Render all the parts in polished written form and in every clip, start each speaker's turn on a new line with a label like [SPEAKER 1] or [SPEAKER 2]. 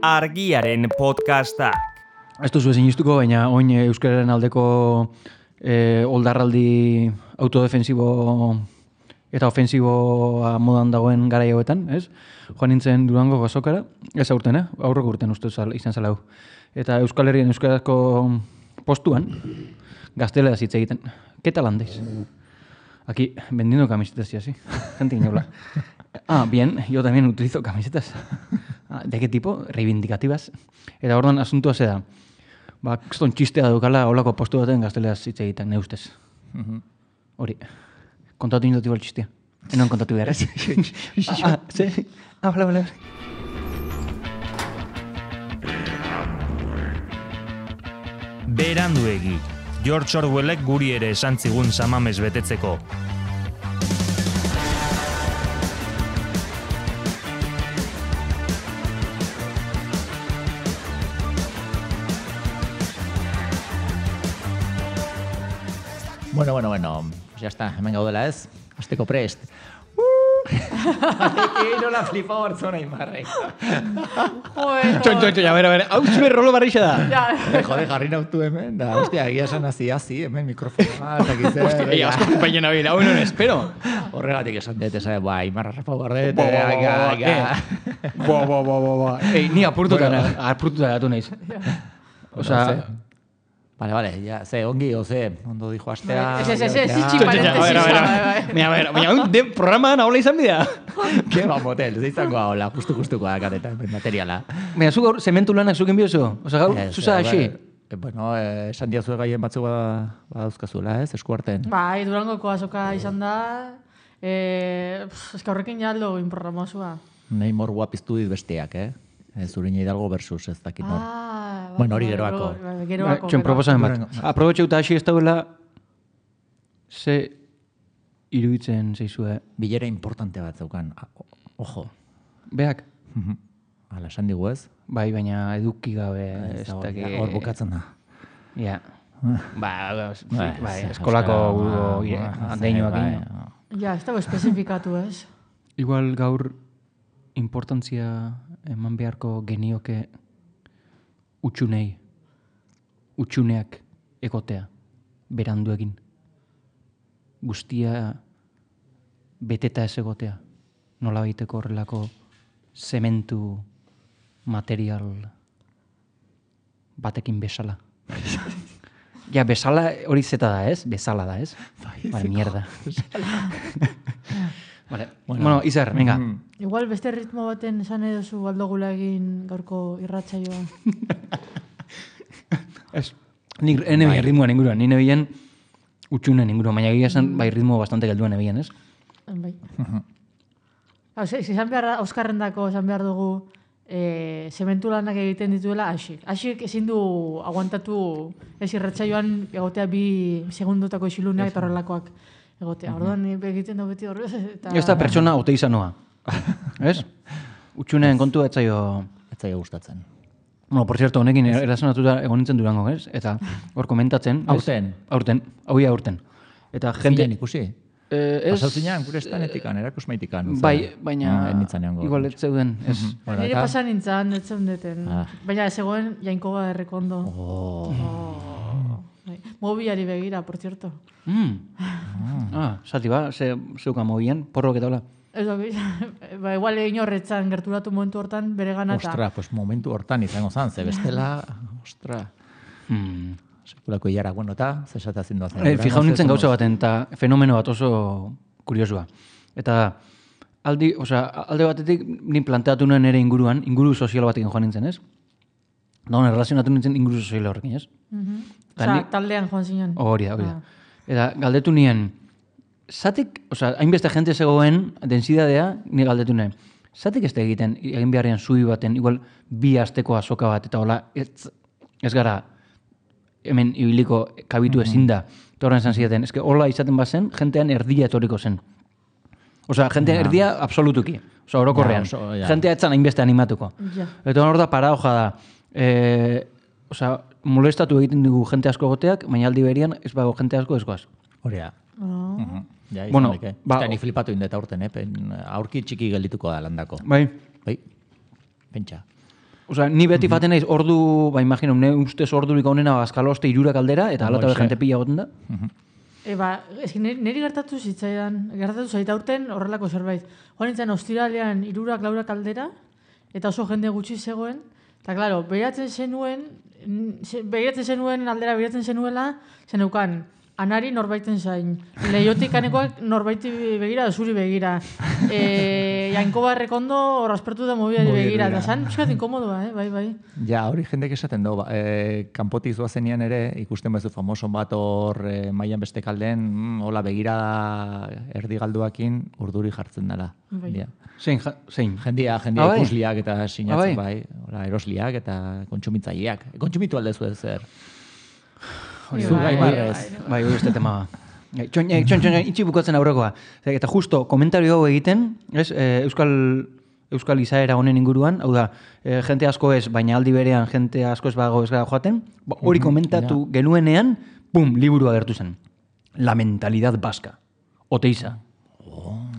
[SPEAKER 1] Argiaren podcastak.
[SPEAKER 2] Ez duzu ezin iztuko, baina oin euskararen aldeko oldarraldi autodefensibo eta ofensiboa modan dagoen garai hauetan, ez? Joan nintzen Durango azokara, ez aurten, aurreko urten uste izan zela hau. Eta Euskal Herrien euskarazko postuan, gazteleraz hitz egiten. ¿Qué tal andéis? Aquí, vendiendo camisetas y así. Gente iñola. Bien, yo también utilizo camisetas. ¿De qué tipo? Reivindicativas. Eta orduan asuntua ze da. Kriston txistea dukala holako postu baten gazteleraz hitz egiten, ne ustez. Hori. Kontatu indoti bol txistea. Enoen kontatu behar, ez? Ze? Bale.
[SPEAKER 1] Beranduegi. George Orwellek guri ere esan zigun samamez betetzeko.
[SPEAKER 3] Bueno, pues ya está, hemen gaudela ez, hasteko prest. Nola flipau hartzona imarrek.
[SPEAKER 2] Txon, ja, bera, hau zure rolo barrixa da.
[SPEAKER 3] Jode, jarri nautu hemen, da, hostia, egia esan hazi, hemen mikrofona, zakitzen.
[SPEAKER 2] Hostia, asko compañen abila, hau non espero.
[SPEAKER 3] Horregatik esan dut, esan, imarra rapau gardet,
[SPEAKER 2] ni apurtuta gatu naiz. Osa...
[SPEAKER 3] Vale, ya, ongi, ondo dijo astea...
[SPEAKER 2] Baina, programan ahola izan bidea.
[SPEAKER 3] Ke ba, motel, zeizango ahola, justu-justuko akatetan, materiala.
[SPEAKER 2] Baina, zu gaur, zementu lanak zuken biozu? Osa, gaur, zuza hasi?
[SPEAKER 3] Bueno, esan diazu gaien batzuk badauzkazuela, ez, eskuarten.
[SPEAKER 4] Bai, Durangoko azoka izan da, eska horrekin jaldo inprogramazua.
[SPEAKER 3] Nahi mor guapiztu dit besteak, Zurina Hidalgo versus ez dakit nor. Bueno, hori geroako.
[SPEAKER 2] Txon, proposamen bat. Aprobetxe eta hasi ez dauela, ze iruditzen zeizue?
[SPEAKER 3] Bilera importante bat zeukan. Ojo.
[SPEAKER 2] Beak?
[SPEAKER 3] Hala, esan digu ez?
[SPEAKER 2] Bai, baina eduki gabe ez dakit.
[SPEAKER 3] Hor bukatzen da.
[SPEAKER 2] Ja. Bai, eskolako andeinoak.
[SPEAKER 4] Ja, ez dago espezifikatu ez.
[SPEAKER 2] Igual gaur importantzia eman beharko genioke utxuneak egotea, berandu egin. Guztia beteta ez egotea, nola baiteko horrelako zementu material batekin bezala. Ja, bezala hori zeta da ez? Bezala da ez? Vale, mierda. Vale. Bueno, Izar, venga.
[SPEAKER 4] Igual beste ritmo baten esan edozu aldogula egin gaurko irratsaioa.
[SPEAKER 2] Ez. Nik enebien ritmoan inguruan, ni nebien utxunen inguruan, baina egia esan bai ritmo bastante gelduen nebien, ez?
[SPEAKER 4] Bai. Esan behar, Euskarrendako esan behar dugu zementu lanak egiten dituela Asik. Asik ezin du aguantatu ez irratsaioan egotea 2 segundotako isiluneak eta horrelakoak. Egotea, orduan egiten da beti horrez.
[SPEAKER 2] Ez da pertsona ote izanoa. Ez? Utxuneen kontu etzaio
[SPEAKER 3] gustatzen.
[SPEAKER 2] Bueno, por cierto, honekin erazonatuta egon nintzen Durango, ez? Eta hor komentatzen. Aurten. Eta jende...
[SPEAKER 3] ikusi? Pasauzinean, gure estanetik, erakusmaitikan.
[SPEAKER 2] Bai, baina igual ez zeuden.
[SPEAKER 4] Nire pasan nintzen, ez zeundeten. Baina ez zegoen jainkoa errekondo. Mobiari begira, por cierto.
[SPEAKER 2] Zati ba, zeuka mobian, porrok eta hola.
[SPEAKER 4] Igual egin horretzan gerturatu momentu hortan bere ganata.
[SPEAKER 3] Ostra, pues momentu hortan izango zan, ze bestela, ostra. Sekulako hilara, bueno, eta zesatazin duazen.
[SPEAKER 2] Fijau nintzen gauza baten, eta fenomeno bat oso kuriosua. Eta alde batetik nin planteatu nuen ere inguru sozial batekin joan nintzen, ez? Dagoen, relazionatu nintzen inguru sozial horrekin, ez?
[SPEAKER 4] Taldean joan zinen.
[SPEAKER 2] Hori da. Eta galdetu nien, zatik, hainbeste jente zegoen densidadea, ni galdetu nien, zatik ez da egin beharrean zui baten, igual 2 asteko azoka bat, eta hola, ez gara, hemen ibiliko kabitu ezin da. Eta horren esan zidaten, eske hola izaten bazen, jentean erdia etoriko zen. Jentean erdia absolutuki. Orokorrean. Jentea etzan hainbeste animatuko. Eta hor da para hoja da, molestatu egiten dugu jente asko goteak, baina aldi berian ez bago jente asko ezkoaz.
[SPEAKER 3] Hori da. Bueno, ni flipatu indeta urten, aurki txiki geldituko da landako.
[SPEAKER 2] Bai.
[SPEAKER 3] Pentsa.
[SPEAKER 2] Osea, ni beti faten naiz ordu, imagino, ne ustez ordurik onena Bazkaloste 3 aldera, eta alata jente pila goten da.
[SPEAKER 4] Niri gertatu zait aurten horrelako zerbait. Joan nintzen ostiralean 3-4 aldera, eta oso jende gutxi zegoen, eta klaro, begiratzen zenuen aldera begiratzen zenuela, zeneukan, anari norbaiten zain, lehiotik anekoak norbaiti begira, zuri begira. Jainkoba rekondo horrazpertu da mobiari begira, eta zan, euskat inkomodoa, bai.
[SPEAKER 3] Ja, hori jendek esaten du, kanpotik zoazenean ere, ikusten bezu famoson bat hor mailan beste kalden, hola begira erdigalduakin urduri jartzen dela.
[SPEAKER 4] Bai.
[SPEAKER 2] Zein?
[SPEAKER 3] Jendia ikusliak eta sinatzen bai, hola erosliak eta kontsumitzaileak. Kontsumitu aldezu ez zer.
[SPEAKER 2] Bai, hori este tema. Txon, itxi bukatzen aurrekoa. Eta justo, komentario hau egiten, Euskal izaera honen inguruan, hau da, jente asko ez, baina aldi berean jente asko ez bago ez gara joaten, hori komentatu genuenean, pum, liburu agertu zen. La mentalidad vasca. Oteiza.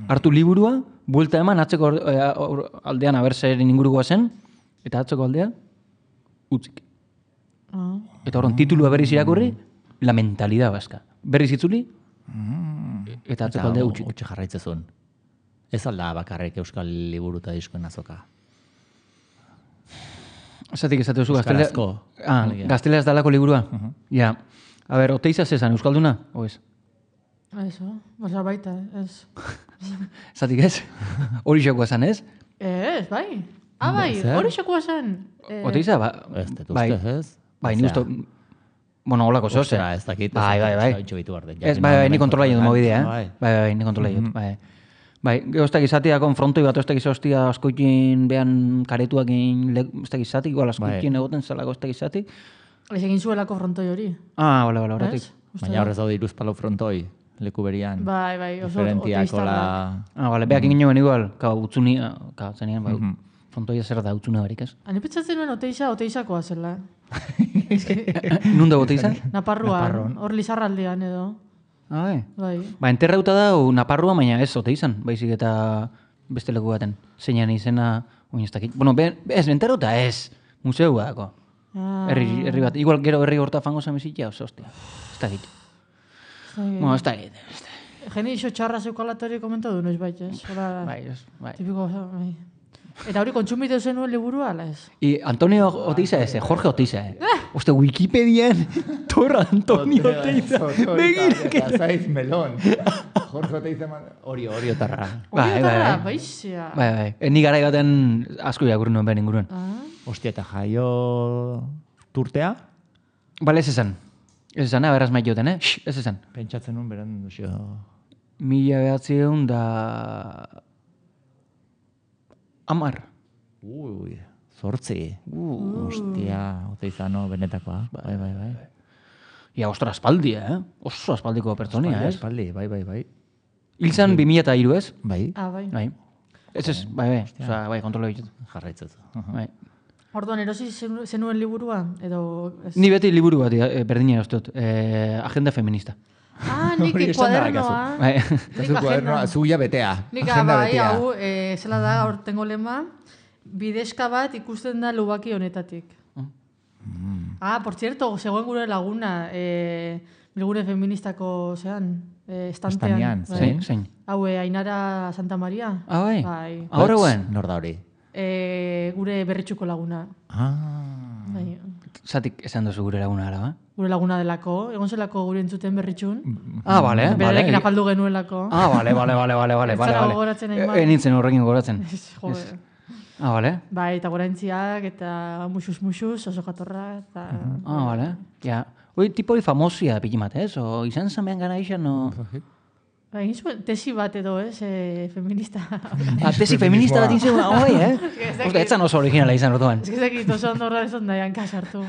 [SPEAKER 2] Hartu liburua, buelta eman, atzeko aldean abertzaren ingurukoa zen, eta atzeko aldea, utzik. Eta horren, titulua berriz irakurri, La mentalidad vasca. Berriz itzuli, eta atzeko aldea utzik.
[SPEAKER 3] Utxe jarraitzezun. Ez alda bakarrik euskal liburu eta diskoen azoka.
[SPEAKER 2] Zatik esate duzu
[SPEAKER 3] Euskarazko.
[SPEAKER 2] Gazteleaz dalako liburua? Ja. A ber, Oteiza zezan, euskalduna? O ez?
[SPEAKER 4] Eso, baina baita, ez.
[SPEAKER 2] Zatik ez? Hori xakoa zan, ez?
[SPEAKER 4] Ez, bai. Bai, hori xakoa zan.
[SPEAKER 2] Oteiza,
[SPEAKER 3] Ez, detuzte, ez?
[SPEAKER 2] Bai, ni usto... Bueno, holako zehose.
[SPEAKER 3] Ez dakit.
[SPEAKER 2] Bai. Ez, bai, ni kontrola jodun mobidea, Bai, ni kontrola jodun, Bai, ez izatea konfrontoi bat, ez hostia askoikin behan karetuakin, ez izatik, igual askoikin egoten zelako ez izatik.
[SPEAKER 4] Ez egin zuelako frontoi hori.
[SPEAKER 2] Bale, horretik.
[SPEAKER 3] Baina horrez daude iruzpalau frontoi, leku berian.
[SPEAKER 4] Bai, oso
[SPEAKER 3] diferentiak hola...
[SPEAKER 2] Bale, beak egin joan igual, utzunia, zenean, bai, frontoia zer da utzuna barik, ez?
[SPEAKER 4] Hani pentsatzen nuen Oteizakoa zela.
[SPEAKER 2] Nunda Oteiza?
[SPEAKER 4] Naparruan, hor Lizarraldean edo.
[SPEAKER 2] Bai.
[SPEAKER 4] Bai.
[SPEAKER 2] Enterrauta da Naparrua, baina ez Oteizan, baizik eta beste leku baten. Zeinan izena, oin ez dakit. Bueno, ez, enterrauta ez, museua dako. Herri bat, igual gero herri horta fango zamizitia, oso, hostia. Ez dakit. Bueno, ez dakit.
[SPEAKER 4] Geni iso txarra zeukalatori komentatu noiz baita, ez?
[SPEAKER 2] Bai.
[SPEAKER 4] Tipiko, bai. Eta hori kontsumitu zenuen liburua, ala ez?
[SPEAKER 2] Antonio Oteiza ez, Jorge Oteiza. Oste, Wikipedian, Torra Antonio Oteiza.
[SPEAKER 3] Begira. Zaiz melon. Jorge Oteiza hori otarra.
[SPEAKER 4] Baixia.
[SPEAKER 2] Bai. Ni garai baten asko irakurri nuen behar inguruan.
[SPEAKER 3] Ostia, eta jaio turtea?
[SPEAKER 2] Bale, ez esan. Ez esan, beraz maitioten, Ez esan.
[SPEAKER 3] Pentsatzen nuen beran duzio...
[SPEAKER 2] 1900 da... 10.
[SPEAKER 3] Ui, 8. Ostia, Oteizano benetakoa. Bai.
[SPEAKER 2] Ia, ostra, aspaldi, Oso aspaldiko pertsonia, ez?
[SPEAKER 3] Bai.
[SPEAKER 2] Hilzan 2003, ez?
[SPEAKER 3] Bai.
[SPEAKER 4] Bai.
[SPEAKER 2] Ez, bai. Osa, bai, kontrola ditut.
[SPEAKER 3] Jarraitzez.
[SPEAKER 2] Bai.
[SPEAKER 4] Orduan, erosi zenuen liburua? Edo...
[SPEAKER 2] Ni beti liburu bat, berdina eustot. Agenda feminista.
[SPEAKER 4] Nik kuadernoa.
[SPEAKER 3] Nik kuadernoa, zuia betea.
[SPEAKER 4] Nik bai, hau, zela da, hortengo lema, bidezka bat ikusten da lubaki honetatik. Por cierto, zegoen gure laguna, bilgune feministako, estantean.
[SPEAKER 2] Zein?
[SPEAKER 4] Hau, Ainara Santa Maria.
[SPEAKER 2] Bai? Horreuen?
[SPEAKER 3] Nor da hori?
[SPEAKER 4] Gure berritxuko laguna.
[SPEAKER 2] Zatik esan duzu gure laguna gara, ba?
[SPEAKER 4] Gure laguna delako, egon zelako gure entzuten berritxun.
[SPEAKER 2] Bale.
[SPEAKER 4] Berarekin afaldu genuelako.
[SPEAKER 2] Bale.
[SPEAKER 4] Ez zara gogoratzen egin bat.
[SPEAKER 2] Nintzen horrekin gogoratzen.
[SPEAKER 4] Jode.
[SPEAKER 2] Bale.
[SPEAKER 4] Bai, eta goraintziak, eta muxuz, oso jatorra, eta...
[SPEAKER 2] Bale. Ja. Hoi, tipo hori famosia pikimat, ez? O izan zamean gana izan, o...
[SPEAKER 4] Egin zuen tesi bat edo, ez? Feminista.
[SPEAKER 2] Tesi feminista bat izan, Osta, etzan oso originala izan orduan.
[SPEAKER 4] Ez dakit oso ondorra ez ondaian kasartu.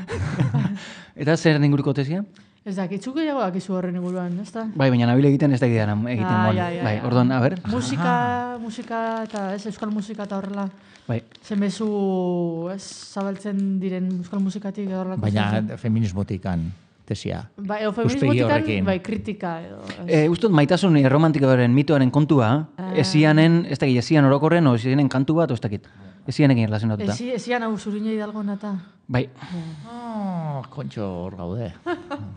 [SPEAKER 2] Eta zer inguruko tesia?
[SPEAKER 4] Ez dakit, txuk gehiago dakizu horren inguruan, ez da?
[SPEAKER 2] Bai, baina nabile egiten ez dakit egiten. Bai, orduan, a ber.
[SPEAKER 4] Musika eta, ez, euskal musika eta horrela.
[SPEAKER 2] Bai.
[SPEAKER 4] Zenbezu, ez, zabaltzen diren euskal musikatik edo horrelako.
[SPEAKER 3] Baina feminismotikan tesia.
[SPEAKER 4] Bai, feminismotikan, bai, kritika edo.
[SPEAKER 2] Uztot, maitasun erromantikoaren mitoaren kontua, esianen, ez dakit, esian orokorren, o esianen kantu bat, ez dakit. Ez zianekin erlazionatuta.
[SPEAKER 4] Ezian hau zurina hidalgo nata.
[SPEAKER 2] Bai,
[SPEAKER 3] Kontxo hor gaude.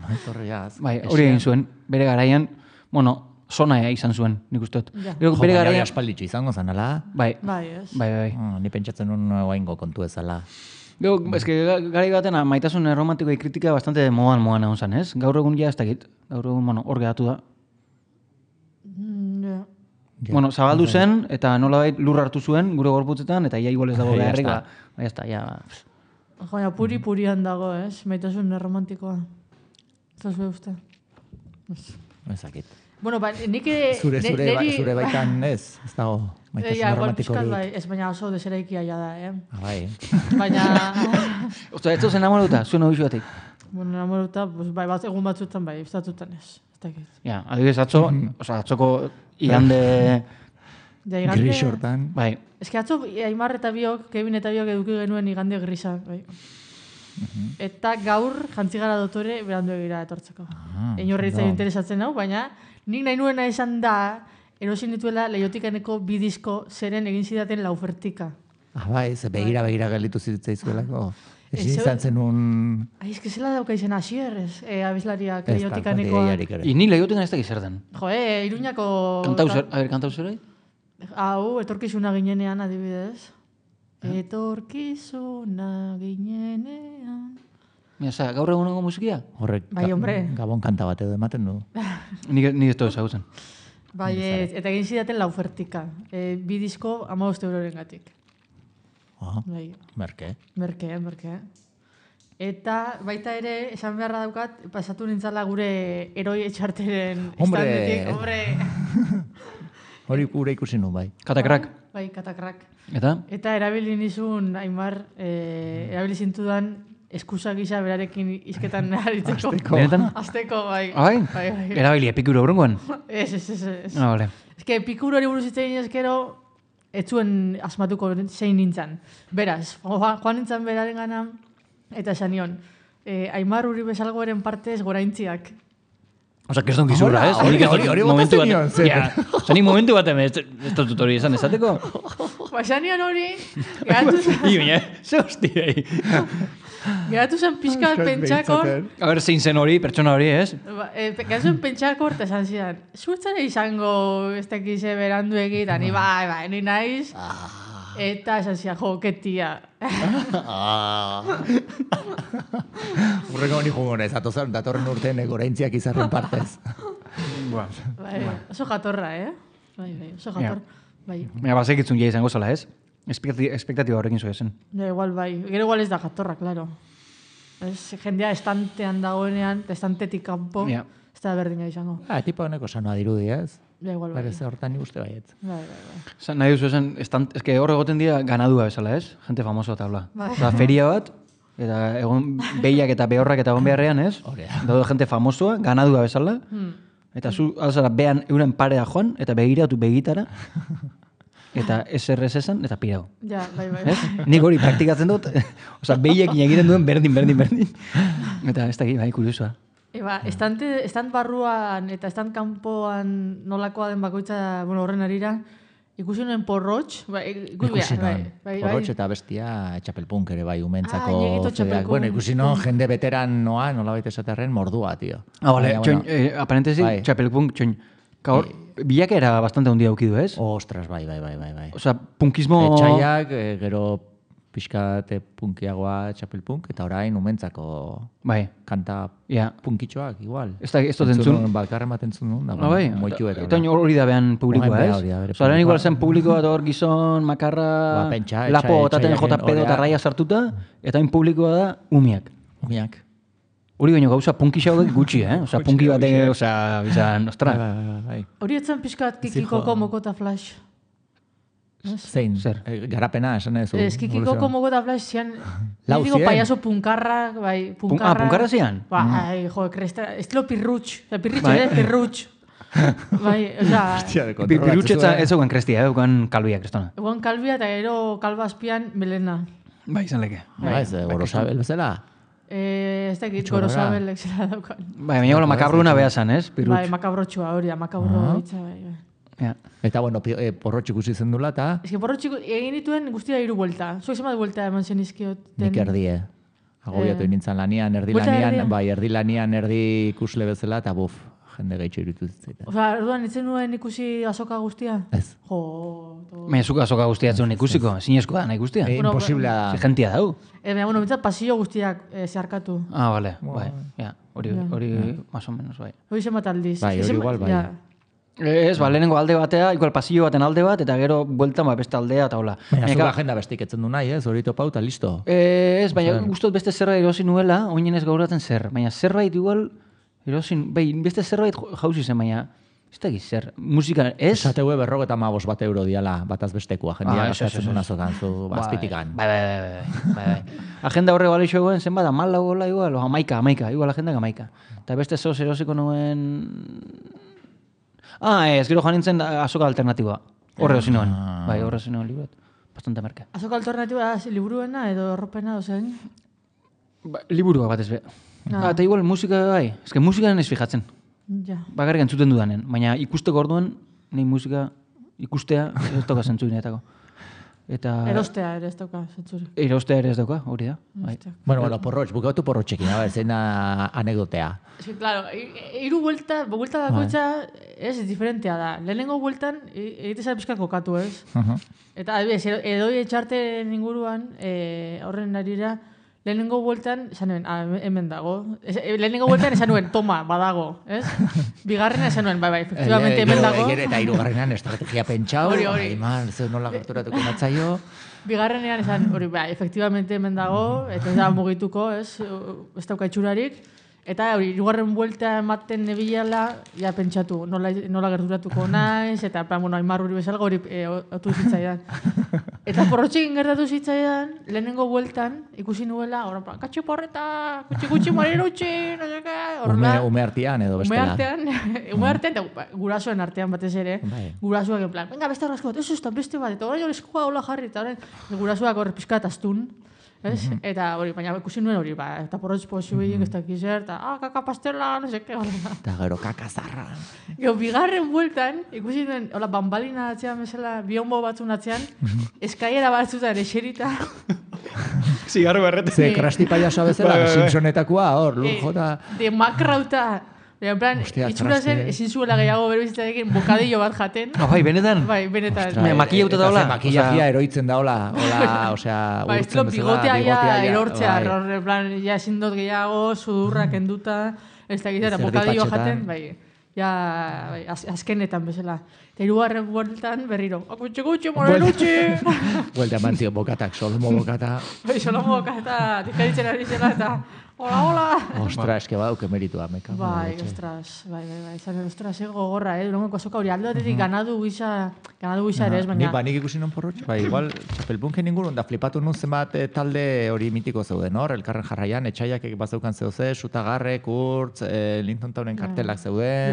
[SPEAKER 3] Maitorriaz.
[SPEAKER 2] bai, hori egin zuen. Bere garaian, zona izan zuen, nik uste dut.
[SPEAKER 4] Ja.
[SPEAKER 2] Gero bere garaian,
[SPEAKER 3] aspalditxo izango zanala.
[SPEAKER 2] bai,
[SPEAKER 4] Bai, ez.
[SPEAKER 2] bai.
[SPEAKER 3] Ni pentsatzen nun oaingo kontu ezala.
[SPEAKER 2] Gero, eske, garai baten maitasun erromantikoa kritika bastante modan egon zen, ez? Gaur egun ja ez dakit. Gaur egun, hor geratu da.
[SPEAKER 4] Ja.
[SPEAKER 2] Zabaldu zen, eta nolabait lur hartu zuen, gure gorputzetan, eta ia igual ez dago
[SPEAKER 3] Ja
[SPEAKER 2] beharrik,
[SPEAKER 3] está.
[SPEAKER 2] ja está, ja.
[SPEAKER 4] Joia, puri-purian dago, ez? Maitasun erromantikoa. Zazue uste.
[SPEAKER 3] Ezakit.
[SPEAKER 4] Bueno, nik...
[SPEAKER 3] Zure baitan ez dago maitasun
[SPEAKER 4] igual
[SPEAKER 3] romantiko
[SPEAKER 4] pixkat
[SPEAKER 3] hori.
[SPEAKER 4] bai, ez baina oso deseraikia ja da,
[SPEAKER 3] Bai.
[SPEAKER 4] Baina...
[SPEAKER 2] Osta, ez zen enamoruta, zuen hori batik.
[SPEAKER 4] Bueno, enamoruta, pues, bai, egun batzutan bai, estatutan ez. Ez dakit.
[SPEAKER 2] Ja, adibidez atzo, atzoko igande,
[SPEAKER 4] Ja, igande...
[SPEAKER 3] Gris hortan.
[SPEAKER 2] bai,
[SPEAKER 4] Ez que atzo, Aimar eta biok, Kevin eta biok eduki genuen igande grisa, bai. Eta gaur, jantzigara dotore, berandu egira etortzeko. Inorri
[SPEAKER 3] ondo.
[SPEAKER 4] interesatzen hau, baina nik nahi nuena esan da, erosin dituela Leiotikaneko bi disko zeren egin zidaten laufertika.
[SPEAKER 3] Bai, ze begira gelditu zitzaizuelako. Ezin
[SPEAKER 4] Ez,
[SPEAKER 3] izan zenun...
[SPEAKER 4] Ai, ez que zela dauka izen asier, abeslariak
[SPEAKER 3] Ez
[SPEAKER 4] Leiotikaneko.
[SPEAKER 2] ni lehioten ez dakiz zer den.
[SPEAKER 4] Jo, Iruñako...
[SPEAKER 2] Kantauzer,
[SPEAKER 4] Hau, etorkizuna ginenean, adibidez. Etorkizuna ginenean...
[SPEAKER 2] Mira, gaur egungo musikia?
[SPEAKER 3] Horrek
[SPEAKER 4] Bai, hombre.
[SPEAKER 3] Gabon kanta bat edo ematen du.
[SPEAKER 2] Nik ez dut ezagutzen.
[SPEAKER 4] Bai, eta egin zidaten laufertika. Bi disko 15 euroren gatik. Bai,
[SPEAKER 3] Merke.
[SPEAKER 4] merke. Eta baita ere, esan beharra daukat, pasatu nintzala gure eroi etxarteren
[SPEAKER 3] Hombre!
[SPEAKER 4] estandetik. Hombre!
[SPEAKER 3] Hori gure ikusi nu, bai.
[SPEAKER 2] Katakrak.
[SPEAKER 4] Bai, katakrak.
[SPEAKER 2] Eta?
[SPEAKER 4] Eta erabili nizun, Aimar, erabili zintudan eskusa gisa berarekin izketan aritzeko.
[SPEAKER 2] Benetan?
[SPEAKER 4] Azteko, bai.
[SPEAKER 2] Bai? Erabili epikuro horrengoan?
[SPEAKER 4] Ez.
[SPEAKER 2] Ah, vale.
[SPEAKER 4] Ez que epikuro hori buruz itzein ezkero, ez zuen asmatuko zein nintzen. Beraz, joan nintzen beraren gana, eta esan nion, Aimar Uri bezalgoaren partez goraintziak.
[SPEAKER 2] Osa, que ez don gizurra, ez?
[SPEAKER 3] Hori botatzen nion, zer.
[SPEAKER 2] Ja, osa, ni momentu bat ez dut hori esan esateko.
[SPEAKER 4] Ba, esan nion hori,
[SPEAKER 2] Ze hostiei.
[SPEAKER 4] geratu zen pixka pentsakor,
[SPEAKER 2] A ber, zein zen hori, pertsona hori, ez?
[SPEAKER 4] geratu zen pentsakor, eta esan zidan, zuetzara izango ez dakize berandu egita, ni bai, ni naiz, eta esan zidan, jo, ketia.
[SPEAKER 3] Urreko honi jungo nez, datorren urtean goraintziak izarren partez.
[SPEAKER 4] Bai, oso jatorra, Bai, oso jator. Bai.
[SPEAKER 2] Baina, bazekitzun ja izango zela, ez? Espektatiba horrekin zuen zen.
[SPEAKER 4] Ja, igual bai. Gero igual ez da jatorra, claro. Ez, jendea estantean dagoenean, estantetik kanpo,
[SPEAKER 2] Ja.
[SPEAKER 4] ez da berdina izango.
[SPEAKER 3] Tipo honeko sanoa dirudi, ez?
[SPEAKER 4] Ja, igual bai.
[SPEAKER 3] Berez hortan nik uste baiet.
[SPEAKER 4] Bai.
[SPEAKER 2] Nahi duzu esan, eske hor egoten dira ganadua bezala, ez? Gente famoso eta bla.
[SPEAKER 4] Bai.
[SPEAKER 2] Osa, feria bat, eta egon behiak eta behorrak eta egon beharrean, ez? Daude gente famosoa, ganadua bezala, eta zu alzara behan euren parea joan, eta begiratu begitara, eta SRS esan, eta pirau.
[SPEAKER 4] Ja, bai.
[SPEAKER 2] Ez? Nik hori praktikatzen dut, oza, behiekin egiten duen berdin. Eta ez dakit, bai, kuriosua.
[SPEAKER 4] Eba, estant barruan eta estant kanpoan nolakoa den bakoitza, bueno, horren arira, ikusi nuen porrotx,
[SPEAKER 3] Ikusi non. Porrotx eta bestia txapelpunk ere bai, umentzako.
[SPEAKER 4] Ñeguito txapelpunk.
[SPEAKER 3] Bueno, ikusi non, jende veteran noa, nolabait esaterren, mordua, tio.
[SPEAKER 2] Ah, vale,
[SPEAKER 3] Baina,
[SPEAKER 2] txoin,
[SPEAKER 3] bueno,
[SPEAKER 2] aparentesi,
[SPEAKER 3] bai.
[SPEAKER 2] txapelpunk, txoin, kaur, bilakera bastante handia aukidu, ez?
[SPEAKER 3] Ostras, bai.
[SPEAKER 2] Osa, punkismo...
[SPEAKER 3] Etxaiak, gero pixkate punkiagoa txapelpunk, eta orain umentzako
[SPEAKER 2] Bai,
[SPEAKER 3] kanta
[SPEAKER 2] ja.
[SPEAKER 3] punkitxoak, igual.
[SPEAKER 2] Ez dut entzun.
[SPEAKER 3] Bakarren bat entzun nun, da,
[SPEAKER 2] Bai,
[SPEAKER 3] moitu eta.
[SPEAKER 2] eta hori da behan publikoa,
[SPEAKER 3] Orain
[SPEAKER 2] ez?
[SPEAKER 3] hori da bere
[SPEAKER 2] Osa, orain igual
[SPEAKER 3] publikoa.
[SPEAKER 2] zen publikoa eta hor gizon, makarra,
[SPEAKER 3] Ba, pentsa,
[SPEAKER 2] lapo otaten
[SPEAKER 3] etxaiaken
[SPEAKER 2] jota pedo eta
[SPEAKER 3] horea.
[SPEAKER 2] raia sartuta, eta hain publikoa da umiak.
[SPEAKER 3] Umiak.
[SPEAKER 2] Hori baino gauza punkisa hauek gutxi, Osa, punki batek, osa, bizan, ostra.
[SPEAKER 3] Bai.
[SPEAKER 4] Hori etzen pixkat kikikoko mokota flash.
[SPEAKER 3] Zein?
[SPEAKER 2] Zer?
[SPEAKER 3] Garapena, esan ez.
[SPEAKER 4] Ez kikikoko mokota flash zian,
[SPEAKER 3] Lau
[SPEAKER 4] digo
[SPEAKER 3] zien.
[SPEAKER 4] payaso punkarra, bai, punkarra.
[SPEAKER 2] punkarra zian?
[SPEAKER 4] Bai, jo, kresta, estilo pirrutx, pirritxo,
[SPEAKER 2] Bai.
[SPEAKER 4] pirrutx. Bai, oza,
[SPEAKER 2] Pirutxetza ez zegoen krestia, euken kalbia krestona.
[SPEAKER 4] egon kalbia eta gero kalba azpian melena.
[SPEAKER 2] Bai, izan leke.
[SPEAKER 3] Ba, ez, gorosabel bezala.
[SPEAKER 4] Ez dakit,
[SPEAKER 3] Txorra.
[SPEAKER 4] gorosabel zela daukan.
[SPEAKER 2] Bai, baina gola makabruna beha zan, ez?
[SPEAKER 4] Bai, makabrotxua hori da, makabro hitza, bai.
[SPEAKER 2] Ja.
[SPEAKER 3] Eta, bueno, porrotx ikusi zen dula, eta
[SPEAKER 4] Ez que porrotxik egin dituen guztira 3 buelta. Zuek zenbat buelta eman zen izkiot.
[SPEAKER 3] nik erdie. Agobiatu nintzen lanian, erdi
[SPEAKER 4] Buelta
[SPEAKER 3] lanian,
[SPEAKER 4] erdia?
[SPEAKER 3] bai, erdi lanian, erdi ikusle bezala, eta buf, jende gehitxo irutu zitzaita.
[SPEAKER 4] Osa, orduan, itzen nuen ikusi azoka guztia?
[SPEAKER 3] Ez.
[SPEAKER 4] Jo,
[SPEAKER 2] Baina zuk azoka guztiatzen ikusiko, zinezkoa da nahi guztia.
[SPEAKER 3] Imposiblea da.
[SPEAKER 2] Gentia dau.
[SPEAKER 4] Baina, bueno, bintzat pasillo guztiak zeharkatu.
[SPEAKER 2] Ah, vale, bai. Ja, hori más o menos, bai.
[SPEAKER 4] Hori zenbat aldiz.
[SPEAKER 3] Bai, hori igual, bai.
[SPEAKER 4] Ja.
[SPEAKER 2] Ez, lehenengo alde batea, igual pasillo baten alde bat, eta gero bueltan beste aldea, eta hola.
[SPEAKER 3] Baina zuk agenda bestik etzen du nahi, ez? Hori topau eta listo.
[SPEAKER 2] Ez, baina gustot beste zerbait erosi nuela, oinen ez gauratzen zer. Baina zerbait igual, erosin, beste zerbait jauzi zen, baina ez da zer. Musika, ez?
[SPEAKER 3] Esategue 55 euro diala, bataz bestekoa, jendia gastatzen duna zokan, zu bazpitikan.
[SPEAKER 2] Bai. Agenda horre bale xoegoen zenbat, 14 gola igual, 11, igual agenda 11. Eta beste zoz erosiko nuen... ez, gero joan nintzen azoka alternatiboa. Horre hozi nuen. Bai, horre hozi nuen libuet. Bastante merke.
[SPEAKER 4] Azoka alternatiba da liburuena edo erropena dozen?
[SPEAKER 2] Liburua batez be. Eta igual musika bai. Ez que musikan ez fijatzen.
[SPEAKER 4] Ja.
[SPEAKER 2] Bakarrik entzuten dudanen. Baina ikusteko orduan, nahi musika ikustea ez dauka zentzuinetako. Eta...
[SPEAKER 4] Erostea ere ez dauka, zentzuri.
[SPEAKER 2] Erostea ere ez dauka, hori da. Bai.
[SPEAKER 3] Bueno, porrotx, bukatu porrotxekin, zein da anekdotea.
[SPEAKER 4] Es que, claro, 3 buelta bakoitza ez diferentea da. Lehenengo bueltan, egitezara pizka kokatu, ez? Eta, adibidez, edoi etxarten inguruan, horren arira, lehenengo bueltan, esan nuen, hemen dago. Lehenengo bueltan esan nuen, toma, badago, ez? Bigarrena esan nuen, bai, efectivamente hemen dago.
[SPEAKER 3] Eta hirugarrenean estrategia pentsau, man, zeu nola gerturatuko natzaio.
[SPEAKER 4] Bigarrenean esan, hori, bai, efectivamente hemen dago, eta ez da mugituko, ez dauka itxurarik. Eta hori, 2. buelta ematen nebilela, ja pentsatu, nola gerturatuko naiz, eta, bueno, Aimar hori bezalgo hori otu zitzaidan. Eta porrotxekin gertatu zitzaidan, lehenengo bueltan, ikusi nuela, horren, katxe porreta, kutsi marirutxi, no sé qué,
[SPEAKER 3] Ume artean edo bestela.
[SPEAKER 4] Ume artean, eta gurasoen artean batez ere, gurasoak en plan, venga, beste arrasko bat, ez beste bat, eta orain eskua hola jarri, eta orain, gurasoak horre pizkat astun, ez? Eta hori, baina ikusi nuen hori, eta porrotx posibilik ez dakizer, eta, kaka pastela, no sé qué,
[SPEAKER 3] eta gero kaka zarra.
[SPEAKER 4] Gero, bigarren bueltan, ikusi nuen, hola, bambalina atzean bezala, bionbo batzun atzean, eskaiera batzutan eserita.
[SPEAKER 2] Zigarro berrete.
[SPEAKER 3] Ze, krasti paiasoa bezala, Simpsonetakoa, hor, lur jota.
[SPEAKER 4] De makrauta. En plan, itxura zen, ezin zuela gehiago bero bizitarekin bokadillo bat jaten.
[SPEAKER 2] Bai, benetan?
[SPEAKER 4] Bai, benetan.
[SPEAKER 2] Makillauta da hola?
[SPEAKER 3] Makillajia eroitzen da hola, osea,
[SPEAKER 4] bai, estilo bigotea erortzea, en plan, ja ezin dut gehiago, sudurra kenduta, ez da gizera, bokadillo jaten, bai. Ja, azkenetan bezala. Eta 3. bueltan berriro, kutsi, morelutxi!
[SPEAKER 3] Buelta eman zion bokatak, Solomo bokata.
[SPEAKER 4] Bai, Solomo bokata, dikaritzen ari zela eta, hola!
[SPEAKER 3] Ostra, eske badauke meritua, meka.
[SPEAKER 4] Bai, ostras, bai. Ostras, gogorra, Durangoko azoka hori aldo batetik ganadu gisa ere ez, baina...
[SPEAKER 3] Nik ikusi non porrotx, bai, igual, txapelpunken ingurun, da flipatu nun zenbat talde hori mitiko zeuden, hor, elkarren jarraian, etxaiak bazeukan zeuze, Sutagarre, Kurtz, Linton Townen kartelak zeuden.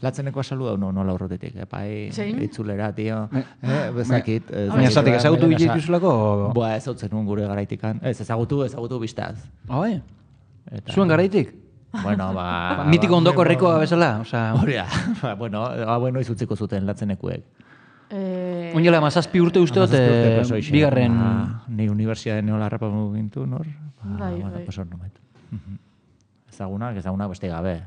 [SPEAKER 3] Latzeneko asalu da, nola horretetik, bai, itzulera, tio. Bezakit.
[SPEAKER 2] Baina esatik, ezagutu dituzulako?
[SPEAKER 3] Boa, ezautzen nuen gure garaitikan. Ez, ezagutu biztaz.
[SPEAKER 2] Bai? Zuen garaitik?
[SPEAKER 3] Bueno,
[SPEAKER 2] mitiko ondoko herrikoa bezala?
[SPEAKER 3] Hori da. Bueno, izutziko zuten latzenekuek.
[SPEAKER 2] Oinela, mazazpi urte uste dut, bigarren...
[SPEAKER 3] Ni universidaden neola harrapa gintu, nor?
[SPEAKER 4] Bai.
[SPEAKER 3] Pasor nomait. Ezagunak beste gabe.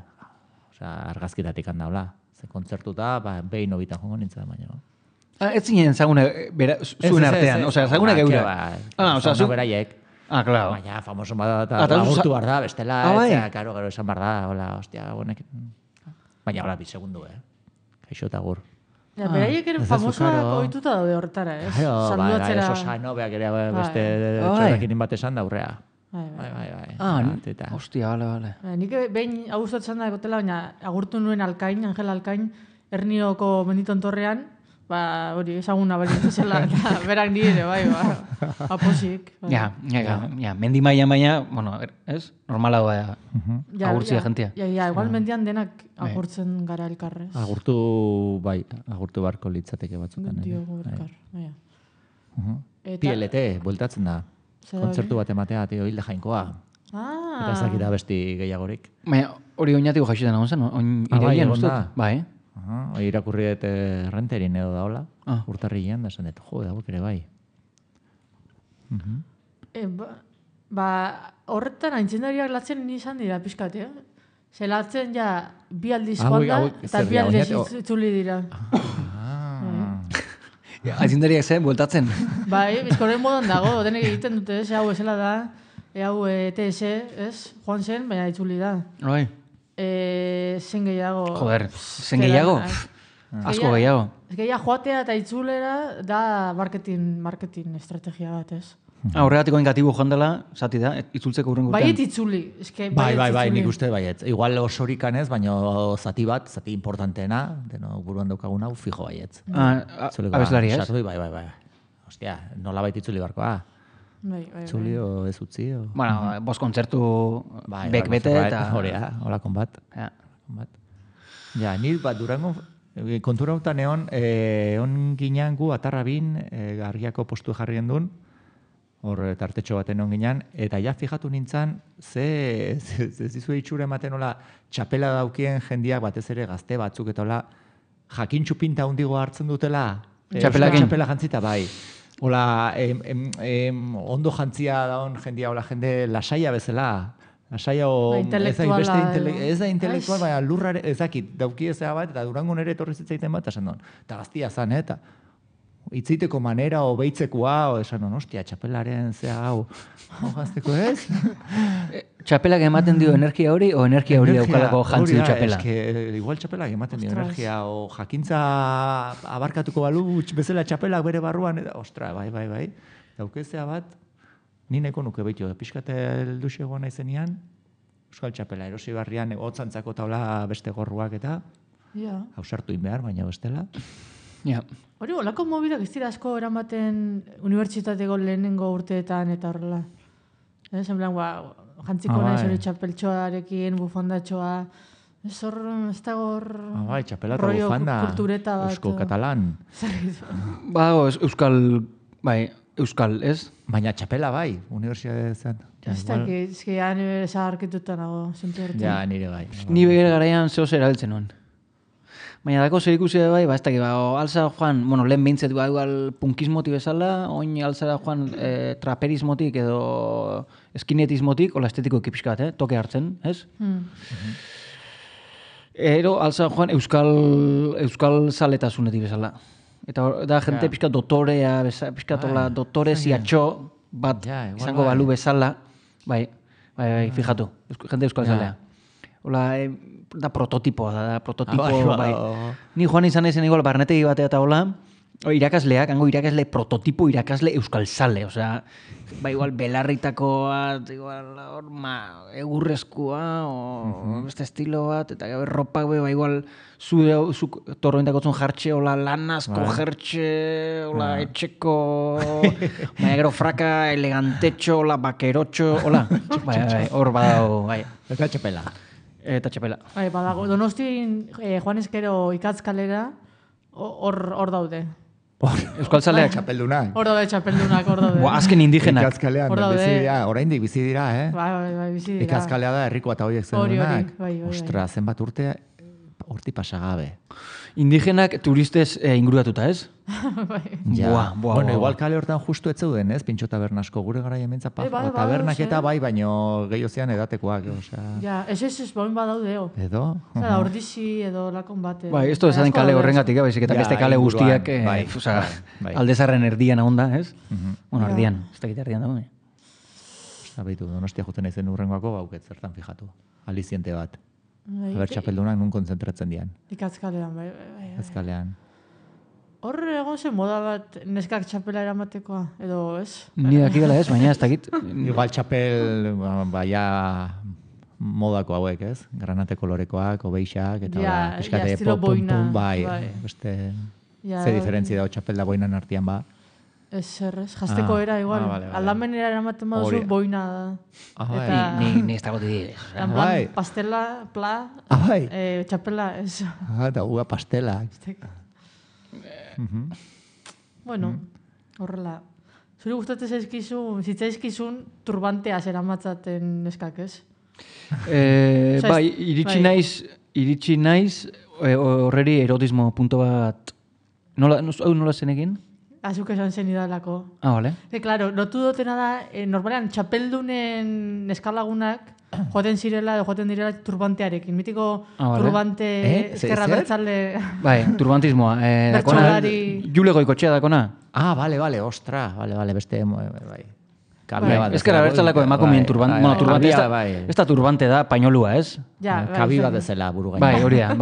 [SPEAKER 3] Argazkitatik handaula. Ze kontzertuta, behin hobitan jongo nintzen baina.
[SPEAKER 2] Ez zinen zagune zuen artean, zagune geure.
[SPEAKER 3] Zagune beraiek.
[SPEAKER 2] Claro.
[SPEAKER 3] Baina, famoso bada eta agurtu bar da, bestela, gero esan bar da, hola, hostia, bonek. Baina, hola, bisegundu, Kaixo eta gur.
[SPEAKER 4] Beraiek ere famosoak ohituta daude horretara, ez?
[SPEAKER 3] Saludatzera. Sosano, beak ere beste txorrekin bat esan da aurrea. Bai.
[SPEAKER 2] Hostia, bale.
[SPEAKER 4] Nik behin agustatzen da egotela, baina agurtu nuen Alkain, Angel Alkain, Ernioko Menditon Torrean, hori ezaguna balitzu zela, eta berak nire, bai, aposik.
[SPEAKER 2] Ja, mendi maian baina, bueno, ez? Normala da agurtzia jentia.
[SPEAKER 4] Ja, igual mendian denak agurtzen gara elkarrez.
[SPEAKER 3] Agurtu barko litzateke batzukan.
[SPEAKER 4] Diogo elkar, bai.
[SPEAKER 3] PLT, bueltatzen da. Kontzertu bat ematea, tio, Hilde Jainkoa. Eta ez dakita besti gehiagorik.
[SPEAKER 2] Baina, hori oinatiko jaixetan egon zen, iraien uste? Bai.
[SPEAKER 3] Irakurri dut renterin edo daola, urtarrilean, da esan dut, hauek ere bai.
[SPEAKER 4] Horretan aintzindariak latzen izan dira pixkat, Zelatzen bi aldiz joan da, eta bi aldiz itzuli dira.
[SPEAKER 2] Aintzindariak zen, bueltatzen.
[SPEAKER 4] Bai, bizkorren modan dago, denek egiten dute, hau esela da, hau ETS, joan zen, baina itzuli da.
[SPEAKER 2] Bai.
[SPEAKER 4] Zen gehiago.
[SPEAKER 2] Joder, zen gehiago? Asko gehiago. Ez
[SPEAKER 4] gehiago joatea eta itzulera da marketing estrategia bat,
[SPEAKER 2] Horregatiko ingatibo joan dela, zati da, itzultzeko urren gurtean.
[SPEAKER 4] Baiet itzuli.
[SPEAKER 3] Bai, nik uste baiet. Igual osorikan ez, baina zati importanteena, deno buruan daukagun hau, fijo baiet.
[SPEAKER 2] Abeslari ez?
[SPEAKER 3] Bai. Ostia, nola baita itzuli barkoa. Itzuli o ez utzi.
[SPEAKER 2] Bueno, bost kontzertu bek bete eta...
[SPEAKER 3] Hola, konbat. Ja, nire bat durango kontura hautan egon ginean gu atarrabin Argiako postu jarrien duen, hor tartetxo baten egon ginean, eta ja fijatu nintzen, ze zizue itxura ematen hola txapela daukien jendiak batez ere gazte batzuk eta hola jakintxu pinta hundigo hartzen dutela. Txapela jantzita, bai. Hola, ondo jantzia daun jendia, hola jende lasaia bezala. Lasaia ez da intelektual, baina lurrare, ezakit, dauki ezea bat, eta Durangon ere etorri zitzaiten bat, esan don, eta gaztia zan, eta itzeiteko manera, o beitzekoa, o esan don, ostia, txapelaren zea hau, gazteko ez?
[SPEAKER 2] Txapelak ematen dio energia hori, o energia hori daukalako jantzi du txapela?
[SPEAKER 3] Igual txapelak ematen dio energia, o jakintza abarkatuko balu, bezala txapelak bere barruan, ostra, bai, daukezea bat, ni neko nuke behitu, pixkate elduxegoa naizenian, Euskal Txapela, erosi barrian, hotzantzako taula beste gorruak eta, hausartu inbehar, baina bestela.
[SPEAKER 4] Hori, olako mobilak ez dira asko eramaten unibertsitateko lehenengo urteetan eta horrela. Zenblan, jantziko nahiz hori txapeltxoarekin, bufondatxoa, ez dago hor...
[SPEAKER 3] Bai, txapela eta bufanda, eusko katalan.
[SPEAKER 2] Euskal, ez?
[SPEAKER 3] Baina txapela bai, unibertsitatean.
[SPEAKER 4] Ez dakit, zaharkituta nago, zentu hortu.
[SPEAKER 3] Ja, nire bai.
[SPEAKER 2] Ni begire garaian zehoz erabiltzen nuen. Baina dako zer ikusi bai, ez dakit, alza joan, lehen behintzet igual punkismotik bezala, oin alzara joan traperismotik edo eskinetismotik, hola estetiko ekipiskat, toke hartzen, ez? Ero alza joan euskal zaletasunetik bezala. Eta da jente pixka dotorea, pixka dotore ziatxo bat izango balu bezala. Bai, fijatu, jente euskal zalea. Hola, da prototipoa, bai. Ni joan izan ezen igual barnetegi batea eta hola, irakasleak, hango irakasle prototipo irakasle euskal zale, osea, bai igual belarritakoa, igual egurrezkoa, o beste estilo bat, eta gabe ropak bai igual zuk torrointakotzun jartxe, hola lanazko jertxe, hola etxeko, bai gero fraka elegantetxo, hola bakerotxo, hola, hor badao, bai.
[SPEAKER 3] Eta txapela.
[SPEAKER 4] Bai, badago, Donostin Juan Eskero ikatzkalera, hor daude.
[SPEAKER 2] Euskal Zaleak?
[SPEAKER 3] Txapeldunak.
[SPEAKER 4] Hor daude.
[SPEAKER 2] Azken indigenak.
[SPEAKER 3] Ikazkalean, oraindik bizi dira,
[SPEAKER 4] Bai, bizi dira.
[SPEAKER 3] Ikazkalea da, herrikoa eta horiek zenunak.
[SPEAKER 4] Bai.
[SPEAKER 3] Ostra, zenbat urte, horti pasagabe.
[SPEAKER 2] Indigenak turistez inguratuta, ez?
[SPEAKER 4] Bai.
[SPEAKER 3] Bueno, igual kale hortan justu ez zeuden, ez? Pintxo tabernasko gure gara jementza tabernak eta bai, baino gehiozean edatekoak.
[SPEAKER 4] Ja, ez boin badaude,
[SPEAKER 3] Edo?
[SPEAKER 4] Zara, ordizi edo lakon bate.
[SPEAKER 2] Bai, ez ezaden kale horrengatik, baizik eta beste kale guztiak aldezarren erdian ahonda, ez? Bueno, erdian, ez dakit erdian dago.
[SPEAKER 3] Baitu, Donostia juten naizen urrengoako gauket zertan fijatu. Aliziente bat. Aber txapeldunak nun kontzentratzen dian.
[SPEAKER 4] Ikatzkalean, bai.
[SPEAKER 3] Ikatzkalean.
[SPEAKER 4] Hor egon zen moda bat neskak txapela eramatekoa, edo ez?
[SPEAKER 2] Ni dakidala ez, baina ez dakit.
[SPEAKER 3] Igual txapel, baina modako hauek, ez? Granate kolorekoak, obeixak, eta piskate pum, bai. Beste, ze diferentzia dago txapel da boinan artian ba.
[SPEAKER 4] Ez, jazteko era, igual. Aldamenera eramaten baduzu, boina da.
[SPEAKER 2] Ni ez dago didi.
[SPEAKER 4] En plan, pastela, pla, txapela, ez.
[SPEAKER 3] Eta uga pastela.
[SPEAKER 4] Bueno, horrela. Zuri gustatzen zitzaizkizun turbantea zeramatzaten neskak, ez?
[SPEAKER 2] Bai, iritsi naiz horreri erotismo punto bat, nola zen egin?
[SPEAKER 4] Azuk esan zen idalako.
[SPEAKER 2] Vale.
[SPEAKER 4] Claro, notu dutena da, normalean, txapeldunen eskalagunak joaten direla turbantearekin. Mitiko turbante ezkerra bertzale...
[SPEAKER 2] Bai, turbantismoa.
[SPEAKER 4] Bertsolari...
[SPEAKER 2] Jule Goikotxea dakona?
[SPEAKER 3] Bale, ostra, bale, beste... Bai.
[SPEAKER 2] Ezkerra bertzaleko emakumeen turbante. Bueno, turbante ez da turbante da, pañolua, ez?
[SPEAKER 3] Kabi bat ezela buru gaina.
[SPEAKER 2] Bai, hori da,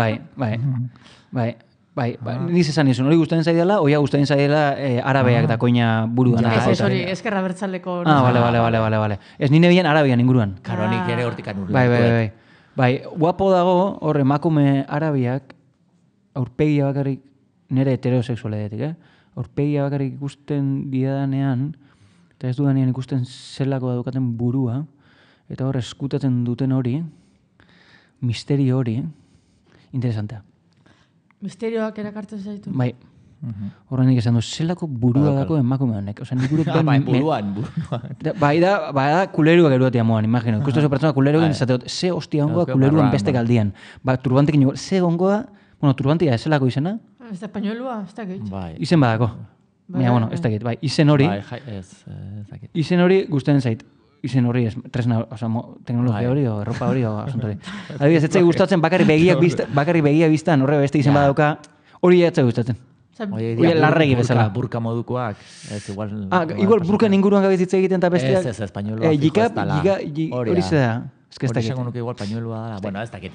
[SPEAKER 2] bai, niz esan izun, hori guztien zaidela, oia guztien zaidela arabeak dakoina buruan.
[SPEAKER 4] Ez hori, ezkerra bertzaleko...
[SPEAKER 2] Bale. Ez nine bian arabian inguruan.
[SPEAKER 3] Karonik ere hortikan urle.
[SPEAKER 2] Bai, guapo dago, hor emakume arabiak, aurpegia bakarrik, nire heterosexualetik, aurpegia bakarrik ikusten diadanean, eta ez dudanean ikusten zelako daukaten burua, eta hor eskutatzen duten hori, misterio hori, interesantea.
[SPEAKER 4] Misterioak erakartzen zaitu.
[SPEAKER 2] Bai. Horren nik esan du, zelako burua dako emakume honek. Osa, nik
[SPEAKER 3] buruan.
[SPEAKER 2] Bai da kuleruak eruatia moan, imagino. Ikustu zo pertsona kuleruak esateot, ze hostia ongoa kuleruan beste galdian. Ba, turbantekin igual, ze ongoa, bueno, turbantea ez zelako izena?
[SPEAKER 4] Ez da españolua, ez dakit.
[SPEAKER 2] Izen badako. Baina, bueno, ez dakit. Bai, izen hori, izen hori guztien zait. Izen hori, tresna, teknologia hori, o erropa hori, o asunto hori. Adibidez, ez zai gustatzen, bakarri begia biztan, horre beste izen badauka, hori ez zai gustatzen. Hori larregi bezala.
[SPEAKER 3] Burka modukoak, ez igual...
[SPEAKER 2] Igual burkan inguruan gabezitze egiten eta besteak...
[SPEAKER 3] Ez, españolua fijo ez dala.
[SPEAKER 2] Hori zeda, ez
[SPEAKER 3] Hori esango nuke igual pañuelua dala. Bueno, ez dakit.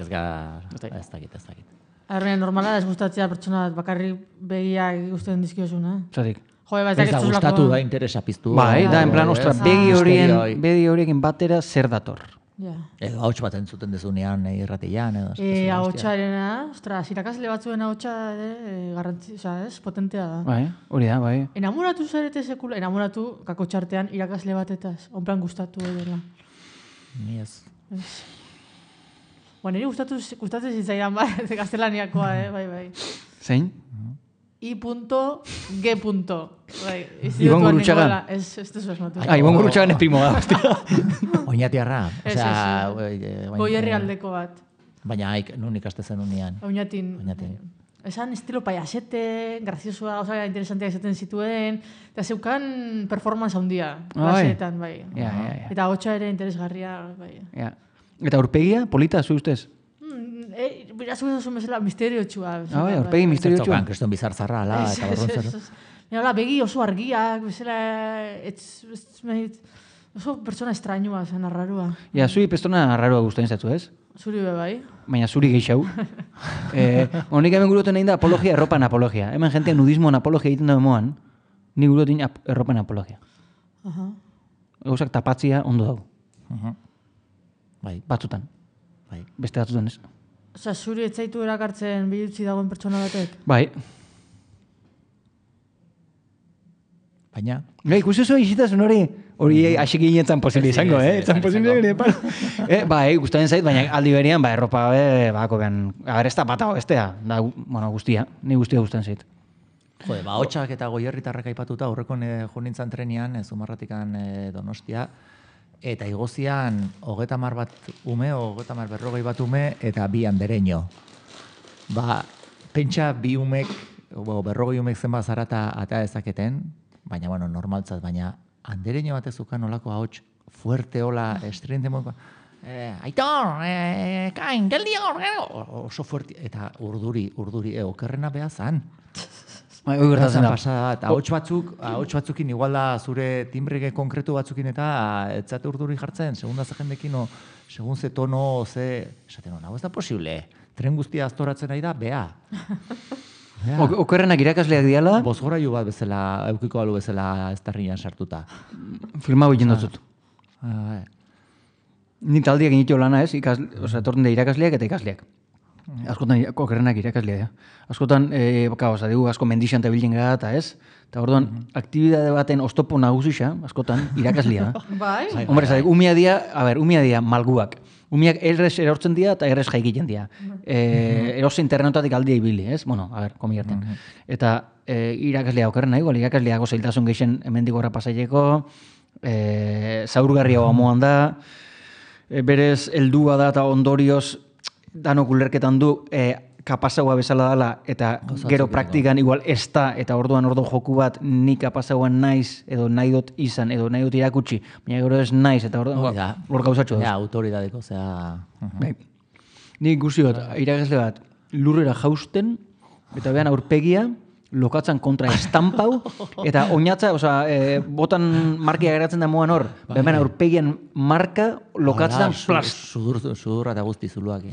[SPEAKER 4] Arrean, normala ez gustatzea pertsona bakarri begiak ikusten dizkiozuna.
[SPEAKER 2] Zatik.
[SPEAKER 3] Ez da gustatu da, interesa piztu.
[SPEAKER 2] Bai, da, en plan, ostra, begi horiekin batera zer dator.
[SPEAKER 3] Edo hauts bat entzuten dezunean irratian, edo.
[SPEAKER 4] Hautxarena, ostra, irakasle batzuen hautsa garrantzi, ez, potentea da.
[SPEAKER 2] Bai, hori da, bai.
[SPEAKER 4] Enamoratu zarete sekula, enamoratu kakotxartean irakasle batetaz, onplan gustatu edela.
[SPEAKER 3] Ni ez.
[SPEAKER 4] Niri gustatzen zitzaidan, bai, gaztelaniakoa, bai.
[SPEAKER 2] Zein?
[SPEAKER 4] I.G. Bai,
[SPEAKER 2] Ibon Gurutxagan.
[SPEAKER 4] Ez tezu esmatu.
[SPEAKER 2] Ibon Gurutxagan ez primo da, hostia.
[SPEAKER 3] Oñatiarra.
[SPEAKER 4] Goierri aldeko bat.
[SPEAKER 3] Baina nun ikaste zen unian.
[SPEAKER 4] Oñatin. Esan estilo payasete, graziosua, gauza interesanteak esaten zituen, eta zeukan performance handia, klaseetan, bai. Eta hotxa ere interesgarria, bai.
[SPEAKER 2] Eta aurpegia, polita, zu ustez?
[SPEAKER 4] Birazu duzu mesela misterio txua.
[SPEAKER 2] Aurpegi misterio txua.
[SPEAKER 3] Kriston bizartzarra, ala, eta borrontzara.
[SPEAKER 4] Hola, begi oso argiak, bezala, oso pertsona estrañua, zen arrarua.
[SPEAKER 2] Zuri pertsona arrarua guztain zatu, ez?
[SPEAKER 4] Zuri be bai.
[SPEAKER 2] Baina zuri geixau. Nik hemen guroten egin da apologia, erropan apologia. Hemen jente nudismoan apologia egiten da moan, ni guroten erropan apologia. Gauzak tapatzia ondo dago. Batzutan. Beste batzutan ez.
[SPEAKER 4] Osa, zuri etzaitu erakartzen bihutzi dagoen pertsona batek?
[SPEAKER 2] Bai.
[SPEAKER 3] Baina?
[SPEAKER 2] Ikusi oso isitasun hori asik ginetzen posible izango, Etzan posible gire, Bai, guztaren zait, baina aldi berian, erropa, bako behan, ez da pata bestea, guztia, ni guztia guztaren zait.
[SPEAKER 3] Jode, hotxak eta goierritarrak aipatuta, horrekon jo nintzen trenean, Zumarratikan Donostia, eta igozian 30 bat ume, 40 bat ume, eta 2 andereño. Pentsa 2 umek, 40 umek zenba zarata ata ezaketen, baina, normaltzat, baina andereño bat ezukan olako ahots fuerte, hola, estridente moduko, Aitor, kain, geldi hor, oso fuerte, eta urduri, okerrena beha zan.
[SPEAKER 2] Hoi gertatzen da.
[SPEAKER 3] Ahots batzukin, igual da zure timbrege konkretu batzukin eta etzate urduri jartzen, segun da ze jendekin, segun ze tono, esaten hau ez da posible, tren guztia aztoratzen nahi da, beha.
[SPEAKER 2] Okerrenak irakasleak diala?
[SPEAKER 3] Bozgorailu bat bezala, eukiko alu bezala ez tarrian sartuta.
[SPEAKER 2] Filma egiten dut. Ni taldiak initu lana ez, etorten da irakasleak eta ikasleak. Askotan okerrenak irakasleak, Askotan, dugu asko mendixan eta bilden gara eta ez, eta orduan, aktibidade baten oztopo nagusisa, askotan, irakaslea.
[SPEAKER 4] Bai?
[SPEAKER 2] Hombre, umia dia malguak. Umiak errez erortzen dira eta errez jaikiten dira. Eroz internetatik aldia ibili, ez? Komi gerten. Eta irakaslea okerrena, irakasleago zailtasun geixen hemendik horra pasaileko, zaurgarria moan da, berez heldua da eta ondorioz danok ulerketan du kapazagoa bezala dela, eta gero praktikan igual ez da, eta orduan joku bat ni kapazagoan naiz, edo nahi dut izan, edo nahi dut irakutsi, baina gero ez naiz, eta orduan hor gauzatxo da.
[SPEAKER 3] Autoridadeko, zera...
[SPEAKER 2] Nik ikusi bat, irakasle bat, lurrera jausten, eta behan aurpegia, lokatzen kontra estampau, eta oinatza, botan markia geratzen da moan hor, behan aurpegian marka, lokatzen plast.
[SPEAKER 3] Sudurra eta guzti zuluakin.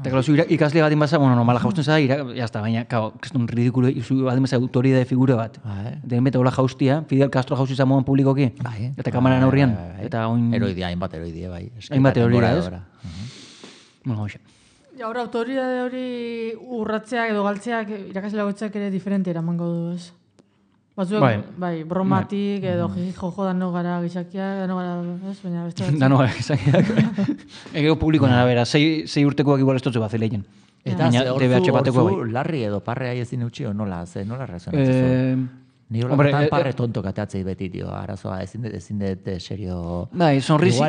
[SPEAKER 2] Eta claro, ikasle bat inbaza, normala jausten zara, jazta, baina, kriston ridikulo, bat inbaza autoridade figura bat. Den bete hola jaustia, Fidel Castro jauzi zamoan publikoki, eta kameran aurrian.
[SPEAKER 3] Heroidia, hainbat heroidia, bai.
[SPEAKER 2] Hainbat heroidia, ez? Bueno, hoxe.
[SPEAKER 4] Ahora, autoridade hori urratzeak edo galtzeak irakasle bakoitzak ere diferente eramango du, ez? Batzuek, bai, bromatik edo jojo dano gara gizakiak, dano gara, ez? Baina beste batzuk.
[SPEAKER 2] Dano gara gizakiak. Egeo publikoan arabera, 6 urtekoak igual ez dutze bat zileien.
[SPEAKER 3] Eta horzu larri edo parrea ezin eutxio, nola reazionatzen? Ni hola tan parre tonto kateatzei beti, tio, arazoa, ezin dut serio...
[SPEAKER 2] Bai, sonrisilla...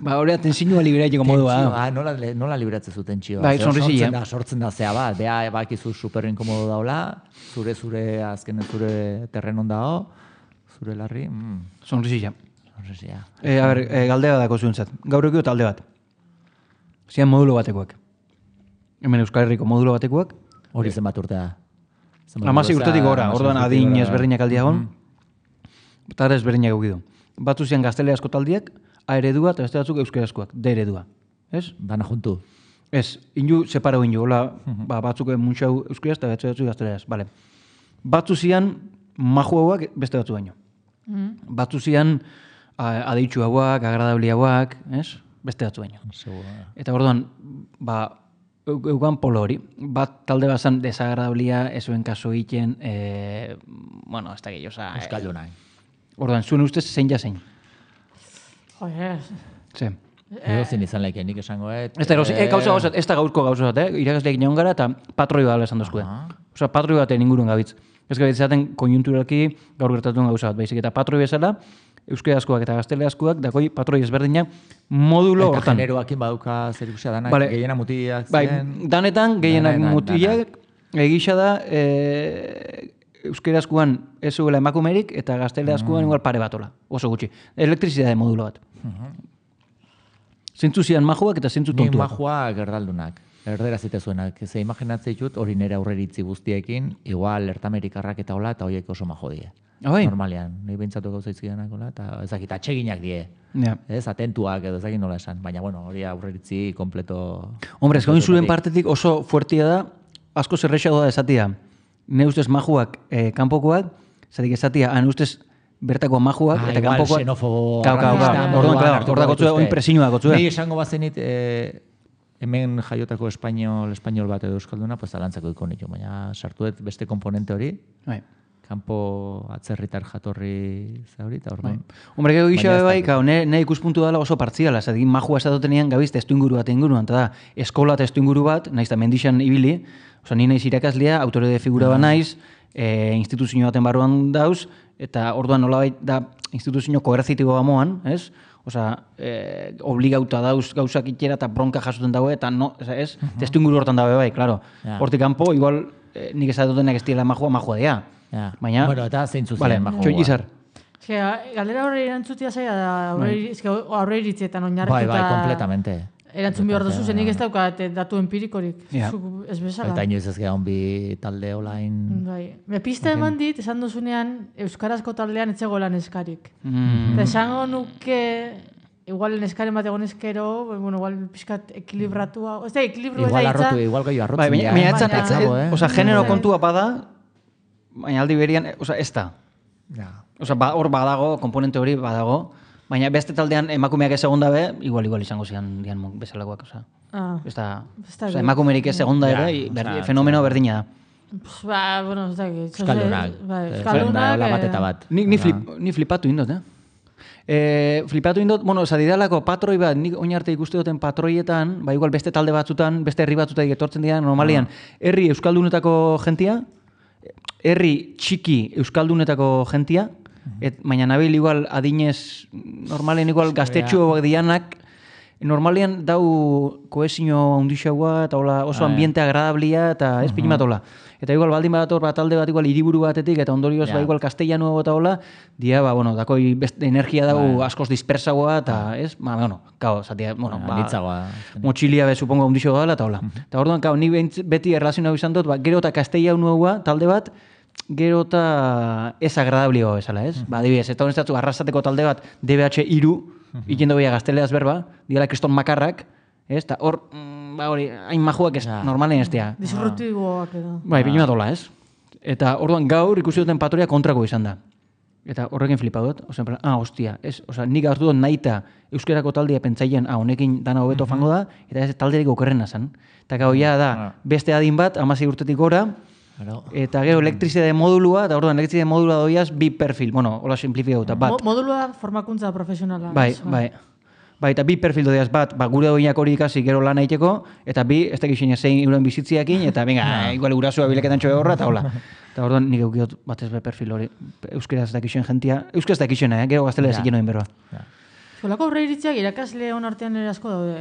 [SPEAKER 2] Ba, hori atenzinua liberatzeko modua.
[SPEAKER 3] Nola liberatzen zuten txio?
[SPEAKER 2] Bai, sonrisilla.
[SPEAKER 3] Sortzen da zea bat, bea bakizu super inkomodo daula, zure azkenen zure terrenon dao, zure larri...
[SPEAKER 2] Sonrisilla. A ber, galdea dako zuentzat. Gaur ekio talde bat. Zian modulo batekoak. Hemen Euskal Herriko modulo batekoak.
[SPEAKER 3] Hori zenbat urtea.
[SPEAKER 2] 16 urtetik gora, orduan adin ezberdinak aldiagon, eta ezberdinak eukidu. Batzu zian gazteleazko taldiak, A eredua eta beste batzuk euskarazkoak, D eredua. Ez?
[SPEAKER 3] Dana juntu.
[SPEAKER 2] Ez, inju separau inju, hola, batzuk muntxau euskaraz eta beste batzuk gazteleaz. Vale. Batzu zian maju hauak beste batzu baino. Batzu zian adeitxu hauak, agradabli hauak, ez? Beste batzu baino. Eta orduan, eugan polo hori, bat talde bazan desagradablia, ezuen kaso egiten, bueno, ez da gehi, oza...
[SPEAKER 3] Euskaldunak.
[SPEAKER 2] Orduan, zuen ustez zein ja zein.
[SPEAKER 3] Ze. Edo zin izan laiken, nik esango,
[SPEAKER 2] Ez da gaurko gauzat, irakasleak neon gara eta patroi bat esan dozkue. Osa, patroi baten ingurun gabitz. Ez gabitz zaten konjunturalki gaur gertatuen gauzat, baizik eta patroi bezala, euskarazkoak eta gazteleazkoak, dakoi patroi ezberdinak modulo hortan.
[SPEAKER 3] Eta generoakin baduka zer ikusia danak, gehiena mutiak ziren.
[SPEAKER 2] Bai, danetan gehienak mutiak, egisa da, euskarazkoan ez zuela emakumerik eta gazteleazkoan igual pare batola, oso gutxi. Elektrizidade modulo bat. Zintzu zian majuak eta zintzu tontuak.
[SPEAKER 3] Ni majuak erdaldunak, erdera zitezuenak. Ze imaginatzei dut, hori nire aurreritzi guztiekin, igual ertamerikarrak eta hola, eta horiek oso majo die. Normalian, nahi behintzatu gauzaitzkidanak hola, eta ezakit, atxeginak die. Ez, atentuak edo ezakit nola esan. Baina, bueno, hori aurreritzi kompleto...
[SPEAKER 2] Hombre, ez gain zuen partetik oso fuertia da, asko zerrexago da esatia. Ne ustez majuak kanpokoak, zatik esatia, han ustez bertako majuak eta kanpokoak...
[SPEAKER 3] Igual
[SPEAKER 2] Orda gotzue, oin presiñua gotzue.
[SPEAKER 3] Nei esango bazenit, hemen jaiotako espainol bat edo euskalduna, pues alantzako ikonitu, baina sartuet beste komponente hori, kanpo atzerritar jatorri zauri, eta hor
[SPEAKER 2] Hombre, gero gisa bai, ne ikuspuntu dela oso partziala, zatik majua esatotenean gabiz testu inguru bat inguruan, eta da, eskola testu inguru bat, naiz da mendixan ibili, oza, ni naiz irakaslea, autoride figura ba naiz, instituzio baten barruan dauz, eta orduan nolabait da instituzio koerzitibo bamoan, ez? Osa, obligauta dauz gauzak itxera eta bronka jasuten dago, eta no, ez? Testu inguru hortan dago bai, klaro. Hortik kanpo, igual, nik esatotenak ez diela majua dea. Baina...
[SPEAKER 3] Bueno, eta zeintzu ziren majua.
[SPEAKER 2] Txoin izar.
[SPEAKER 4] Galdera horre irantzutia zaila da, horre iritzietan oinarrituta...
[SPEAKER 3] Bai, kompletamente.
[SPEAKER 4] Erantzun behar duzu zenik ez daukat datu empirikorik. Ez bezala.
[SPEAKER 3] Eta inoiz ez gehan bi talde olain...
[SPEAKER 4] Bai. Pista eman dit, esan duzunean, euskarazko taldean etzegoela neskarik. Eta esango nuke, igual neskaren bat egon eskero, bueno, igual pixkat ekilibratua... Ez da, ekilibru ez da itza...
[SPEAKER 3] Igual gehiago arrotzen.
[SPEAKER 2] Baina etzan, oza, genero kontua bada, baina aldi berian, oza, ez da. Oza, hor badago, komponente hori badago, baina beste taldean emakumeak ez egon dabe, igual izango zian dian bezalakoak, oza. Ez da, emakumerik ez egon da ere, fenomeno berdina da.
[SPEAKER 4] Bueno, ez da,
[SPEAKER 3] Euskaldunak.
[SPEAKER 4] Euskaldunak.
[SPEAKER 2] Ni flipatu indot, flipatu indot, bueno, zadidalako patroi bat, nik oin arte ikuste duten patroietan, igual beste talde batzutan, beste herri batzutan etortzen dira, normalian, herri euskaldunetako jentia, herri txiki euskaldunetako jentia, baina nabil igual adinez, normalen igual gaztetxuak dianak, normalian dau koesio handixagoa, eta hola oso ambiente agradablia, eta ez pinimat hola. Eta igual baldin badator bat talde bat igual hiriburu batetik, eta ondorioz igual castellano eta hola, dia, dakoi energia dau askoz dispersagoa, eta ez, zatia, motxilia supongo handixo gala, eta hola. Eta orduan, ni beti erlazionau izan dut, gero eta castellanoa talde bat, gero eta ez agradablioa bezala, ez? Adibidez, eta honestatu, arrasateko talde bat, DBH iru, ikendo beha gazteleaz berba, diala kriston makarrak, ez? Eta hor, hori, hain majuak ez, normalen ez dira.
[SPEAKER 4] Disruptiboak edo.
[SPEAKER 2] Bai, pinu bat hola, ez? Eta orduan gaur ikusi duten patoria kontrako izan da. Eta horrekin flipadot, hostia, ez? Nik hartu dut nahita euskerako taldea pentsaien, honekin dana hobeto fango da, eta ez talderik okerrena zen. Eta gau, da, beste adin bat, 16 urtetik gora, eta gero elektrizide modulua, eta orduan elektrizide modulua doiaz, bi perfil, hola simplifikatuta, bat.
[SPEAKER 4] Modulua formakuntza profesionala.
[SPEAKER 2] Bai, eta bi perfil doiaz bat, gure doinak hori ikasi gero lan egiteko, eta bi, ez dakit zein zein euren bizitziakin, eta venga, igual gurasua bileketan txoe horra, eta hola. Eta orduan nik eukiot batez be perfil hori, euskera ez dakixen jentia, euskera ez dakixena, gero gaztelea ziken noin berroa.
[SPEAKER 4] Eskolako aurre iritziak irakasle hon artean ere asko daude,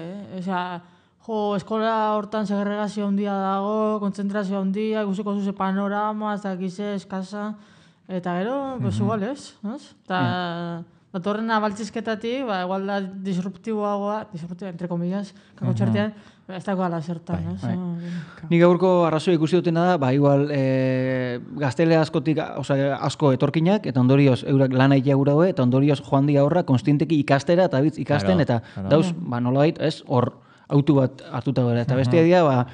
[SPEAKER 4] eskola hortan segregazio handia dago, kontzentrazio handia, ikusiko zuze panorama, ez dakize, eskasa, eta gero, igual ez, eta datorrena baltzizketatik, igual da disruptiboagoa, entre comillas, kako txartean, ez dago ala zertan, ez?
[SPEAKER 2] Nik gaurko arrazoi ikusi dutena da, igual gaztele askotik, asko etorkinak, eta ondorioz eurak lan aitea gura doe, eta ondorioz joan dia horra, konstienteki ikastera, eta bitz ikasten, eta dauz, nola bait, ez, hor, autu bat hartuta gara, eta bestia dira,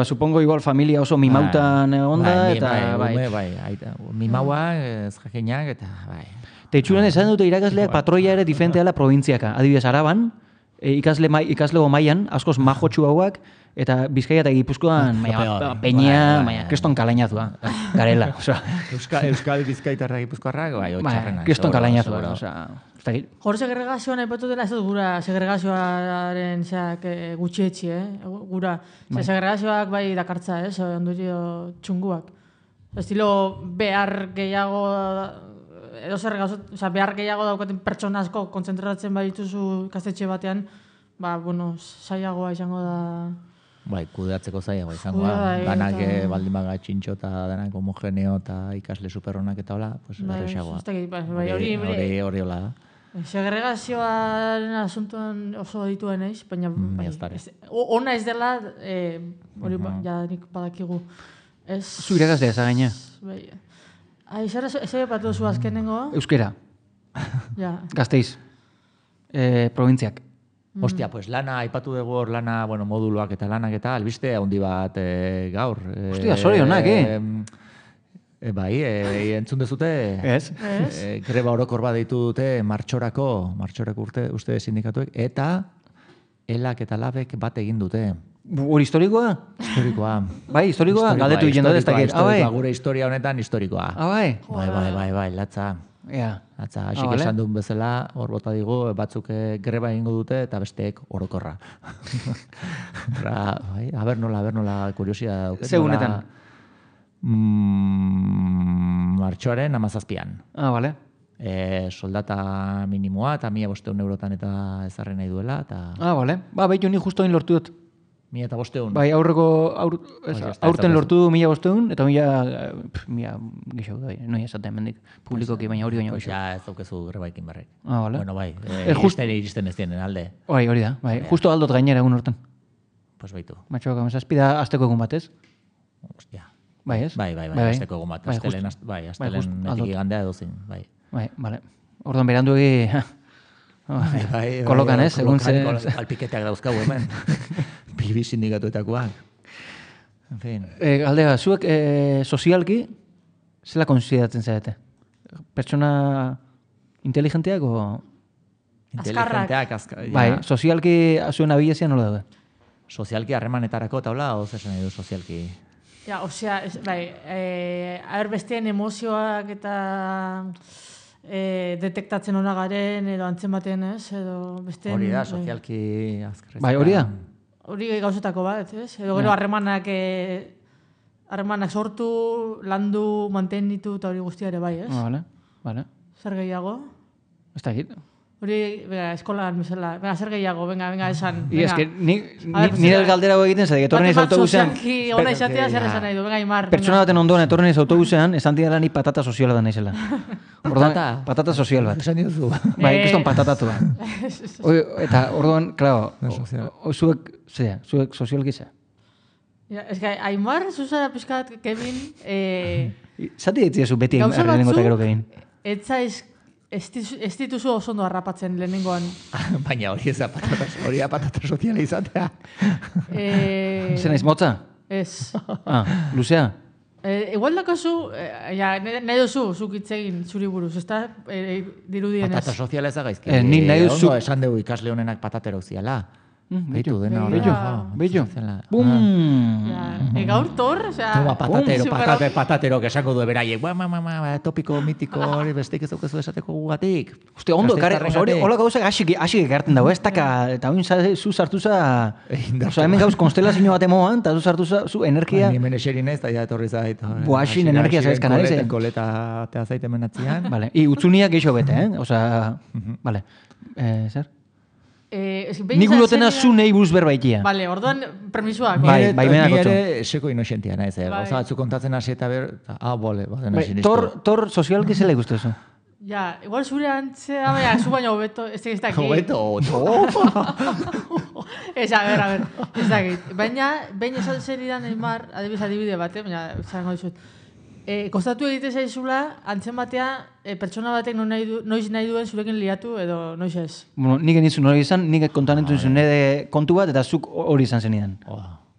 [SPEAKER 2] supongo igual familia oso mimautan onda, eta
[SPEAKER 3] mimaua, ez jakinak, eta bai.
[SPEAKER 2] Eta itxuran esan dute irakasleak patroia ere diferenteala provintziaka. Adibidez, Araban, ikaslego mailan, askoz majotxu hauak, eta Bizkaia eta Gipuzkoan peña, kriston kalainazua, garela.
[SPEAKER 3] Euskal Bizkaitarra Gipuzkoarrak, oitxarrena.
[SPEAKER 2] Kriston kalainazua,
[SPEAKER 4] Hor segregazioan aipatu dela, ez dut gura segregazioaren gutxietxi, gura. Segregazioak bai dakartza, ondorio txunguak. Estilo behar gehiago, edo zer behar gehiago daukaten pertsona asko kontzentratzen badituzu ikastetxe batean, zailagoa izango da.
[SPEAKER 3] Bai, kudeatzeko zailagoa izango da. Danak baldin baga txintxo eta danak homogeneo eta ikasle superronak eta hola, pues errexagoa. Hori hola da.
[SPEAKER 4] Segregazioaren asuntuan oso dituen eiz, baina ona ez dela, hori nik badakigu.
[SPEAKER 2] Zu irakastea zagaina.
[SPEAKER 4] Ez batu zu azkenengo?
[SPEAKER 2] Euskera. Gasteiz. Provintziak.
[SPEAKER 3] Ostia, pues lana, aipatu dugu hor lana, moduluak eta lanak eta albiste handi bat gaur.
[SPEAKER 2] Ostia, sorionak,
[SPEAKER 3] Bai, entzun dezute?
[SPEAKER 2] Ez.
[SPEAKER 3] Greba orokor bat deitu dute martxorako uste sindikatuek, eta elak eta labek bat egin dute.
[SPEAKER 2] Hori historikoa?
[SPEAKER 3] Historikoa.
[SPEAKER 2] Bai, historikoa? Galdetu egin dut ez dakit.
[SPEAKER 3] Gure historia honetan historikoa. Bai, latza. Latza, hasik esan duen bezala, hor bota digu, batzuk greba egingo dute eta besteek orokorra. Aber nola, kuriosia dauket.
[SPEAKER 2] Segunetan?
[SPEAKER 3] Martxoaren 17an.
[SPEAKER 2] Bale.
[SPEAKER 3] Soldata minimoa eta 1.500 eurotan eta ezarri nahi duela.
[SPEAKER 2] Bale. Behitu ni justo hain lortu dut.
[SPEAKER 3] 1.500.
[SPEAKER 2] Bai, aurten lortu du 1.500 eta 1.000 gixau da, noi esaten mendik publikoki, baina hori baina gixau.
[SPEAKER 3] Ez daukezu grebaikin barrek.
[SPEAKER 2] Bale.
[SPEAKER 3] Bueno, bai, iristen ez dienen alde.
[SPEAKER 2] Bai, hori da, bai. Justo aldot gainera egun hortan.
[SPEAKER 3] Pues baitu.
[SPEAKER 2] Matxoak, amazazpida azteko egun batez.
[SPEAKER 3] Ostia.
[SPEAKER 2] Bai, ez?
[SPEAKER 3] Bai, azteko egun bat. Aztelen netik igandea edozin, bai.
[SPEAKER 2] Bai, bale. Orduan berandu egi... Kolokan, ez? Egun ze...
[SPEAKER 3] Alpiketeak dauzkau hemen. Bilbi sindikatuetakoak. En fin.
[SPEAKER 2] Galdea, zuek sozialki zela konsideratzen zarete? Pertsona inteligenteak o...
[SPEAKER 3] Inteligenteak,
[SPEAKER 2] bai, sozialki zuen abilezia nola daude?
[SPEAKER 3] Sozialki harremanetarako taula, o zesan edo sozialki...
[SPEAKER 4] besteen emozioak eta detektatzen hona garen, edo antzematen, ez?
[SPEAKER 3] Hori da, sozialki azkarrezak.
[SPEAKER 2] Bai, hori da?
[SPEAKER 4] Hori gauzetako bat, ez? Edo gero harremanak sortu, landu, mantenitu eta hori guztia ere bai, ez?
[SPEAKER 2] Bale.
[SPEAKER 4] Zer gehiago?
[SPEAKER 2] Ez da egit.
[SPEAKER 4] Hori, eskolan bezala. Venga, zer gehiago, venga, esan.
[SPEAKER 2] I eske nire galdera egiten zait, etorren ez autobusean.
[SPEAKER 4] Sozialki ona izatea zer esan nahi du, venga, Aimar.
[SPEAKER 2] Pertsona baten ondoan etorren ez autobusean, esan dira ni patata soziala da naizela. Patata sozial bat.
[SPEAKER 3] Esan diozu.
[SPEAKER 2] Bai, kriston patatatu da. Eta orduan, claro, zuek sozialki ze.
[SPEAKER 4] Ez que, Aimar, zuzara pizkat, Kevin...
[SPEAKER 2] Zati ditzizu beti lehenengo eta gero Kevin.
[SPEAKER 4] Ez dituzu oso ondo harrapatzen lehenengoan.
[SPEAKER 3] Baina hori ez da patata soziala izatea.
[SPEAKER 2] Zer naiz motza?
[SPEAKER 4] Ez.
[SPEAKER 2] Luzea?
[SPEAKER 4] Igual dakazu, nahi duzu, zuk hitzegin zuri buruz, ez da dirudienez.
[SPEAKER 3] Patata soziala ez da gaizki.
[SPEAKER 2] Ni nahi duzu...
[SPEAKER 3] Ondo esan dugu ikasle honenak patatero ziala. Beitu, dena hori.
[SPEAKER 2] Bello. Bum!
[SPEAKER 4] Gaur tor, osea...
[SPEAKER 3] Toma, patatero, que esango du beraiek. Topiko, mitiko, hori bestik ez daukezu esateko gugatik.
[SPEAKER 2] Uste, ondo, hori hola gauzak asik egarten dago, ez daka, eta hori zu sartuza... Osa, hemen gauz konstelazio bat emoan, eta zu sartuza, zu energia...
[SPEAKER 3] Ni hemen eserin ez, eta ja etorri zait.
[SPEAKER 2] Boaxin energia zaizkan ari zen.
[SPEAKER 3] Koleta tea zaite menatzean.
[SPEAKER 2] Vale, utzuniak geixo bete, Osa, vale. Zer? Nik gulotena zu nahi buruz berbaitia.
[SPEAKER 4] Vale, orduan permisuak.
[SPEAKER 2] Bai,
[SPEAKER 3] Ni ere seko inoxentia naiz. Gauza batzu kontatzen hasi eta bole, baden sinistu.
[SPEAKER 2] Tor sozialki zela ikustezu.
[SPEAKER 4] Ja, igual zure antzea, baina, zu baina hobeto, ez dakit.
[SPEAKER 3] Hobeto,
[SPEAKER 4] Ez, a ver, ez dakit. Baina, baina esan zeridan Aimar, adibide bat, baina, zango dizut. Kostatu egite zaizula, antzen batea, pertsona batek noiz nahi duen zurekin liatu edo noiz ez?
[SPEAKER 2] Bueno, nik enitzun hori izan, nik kontanentu izun nire kontu bat, eta zuk hori izan zenidan.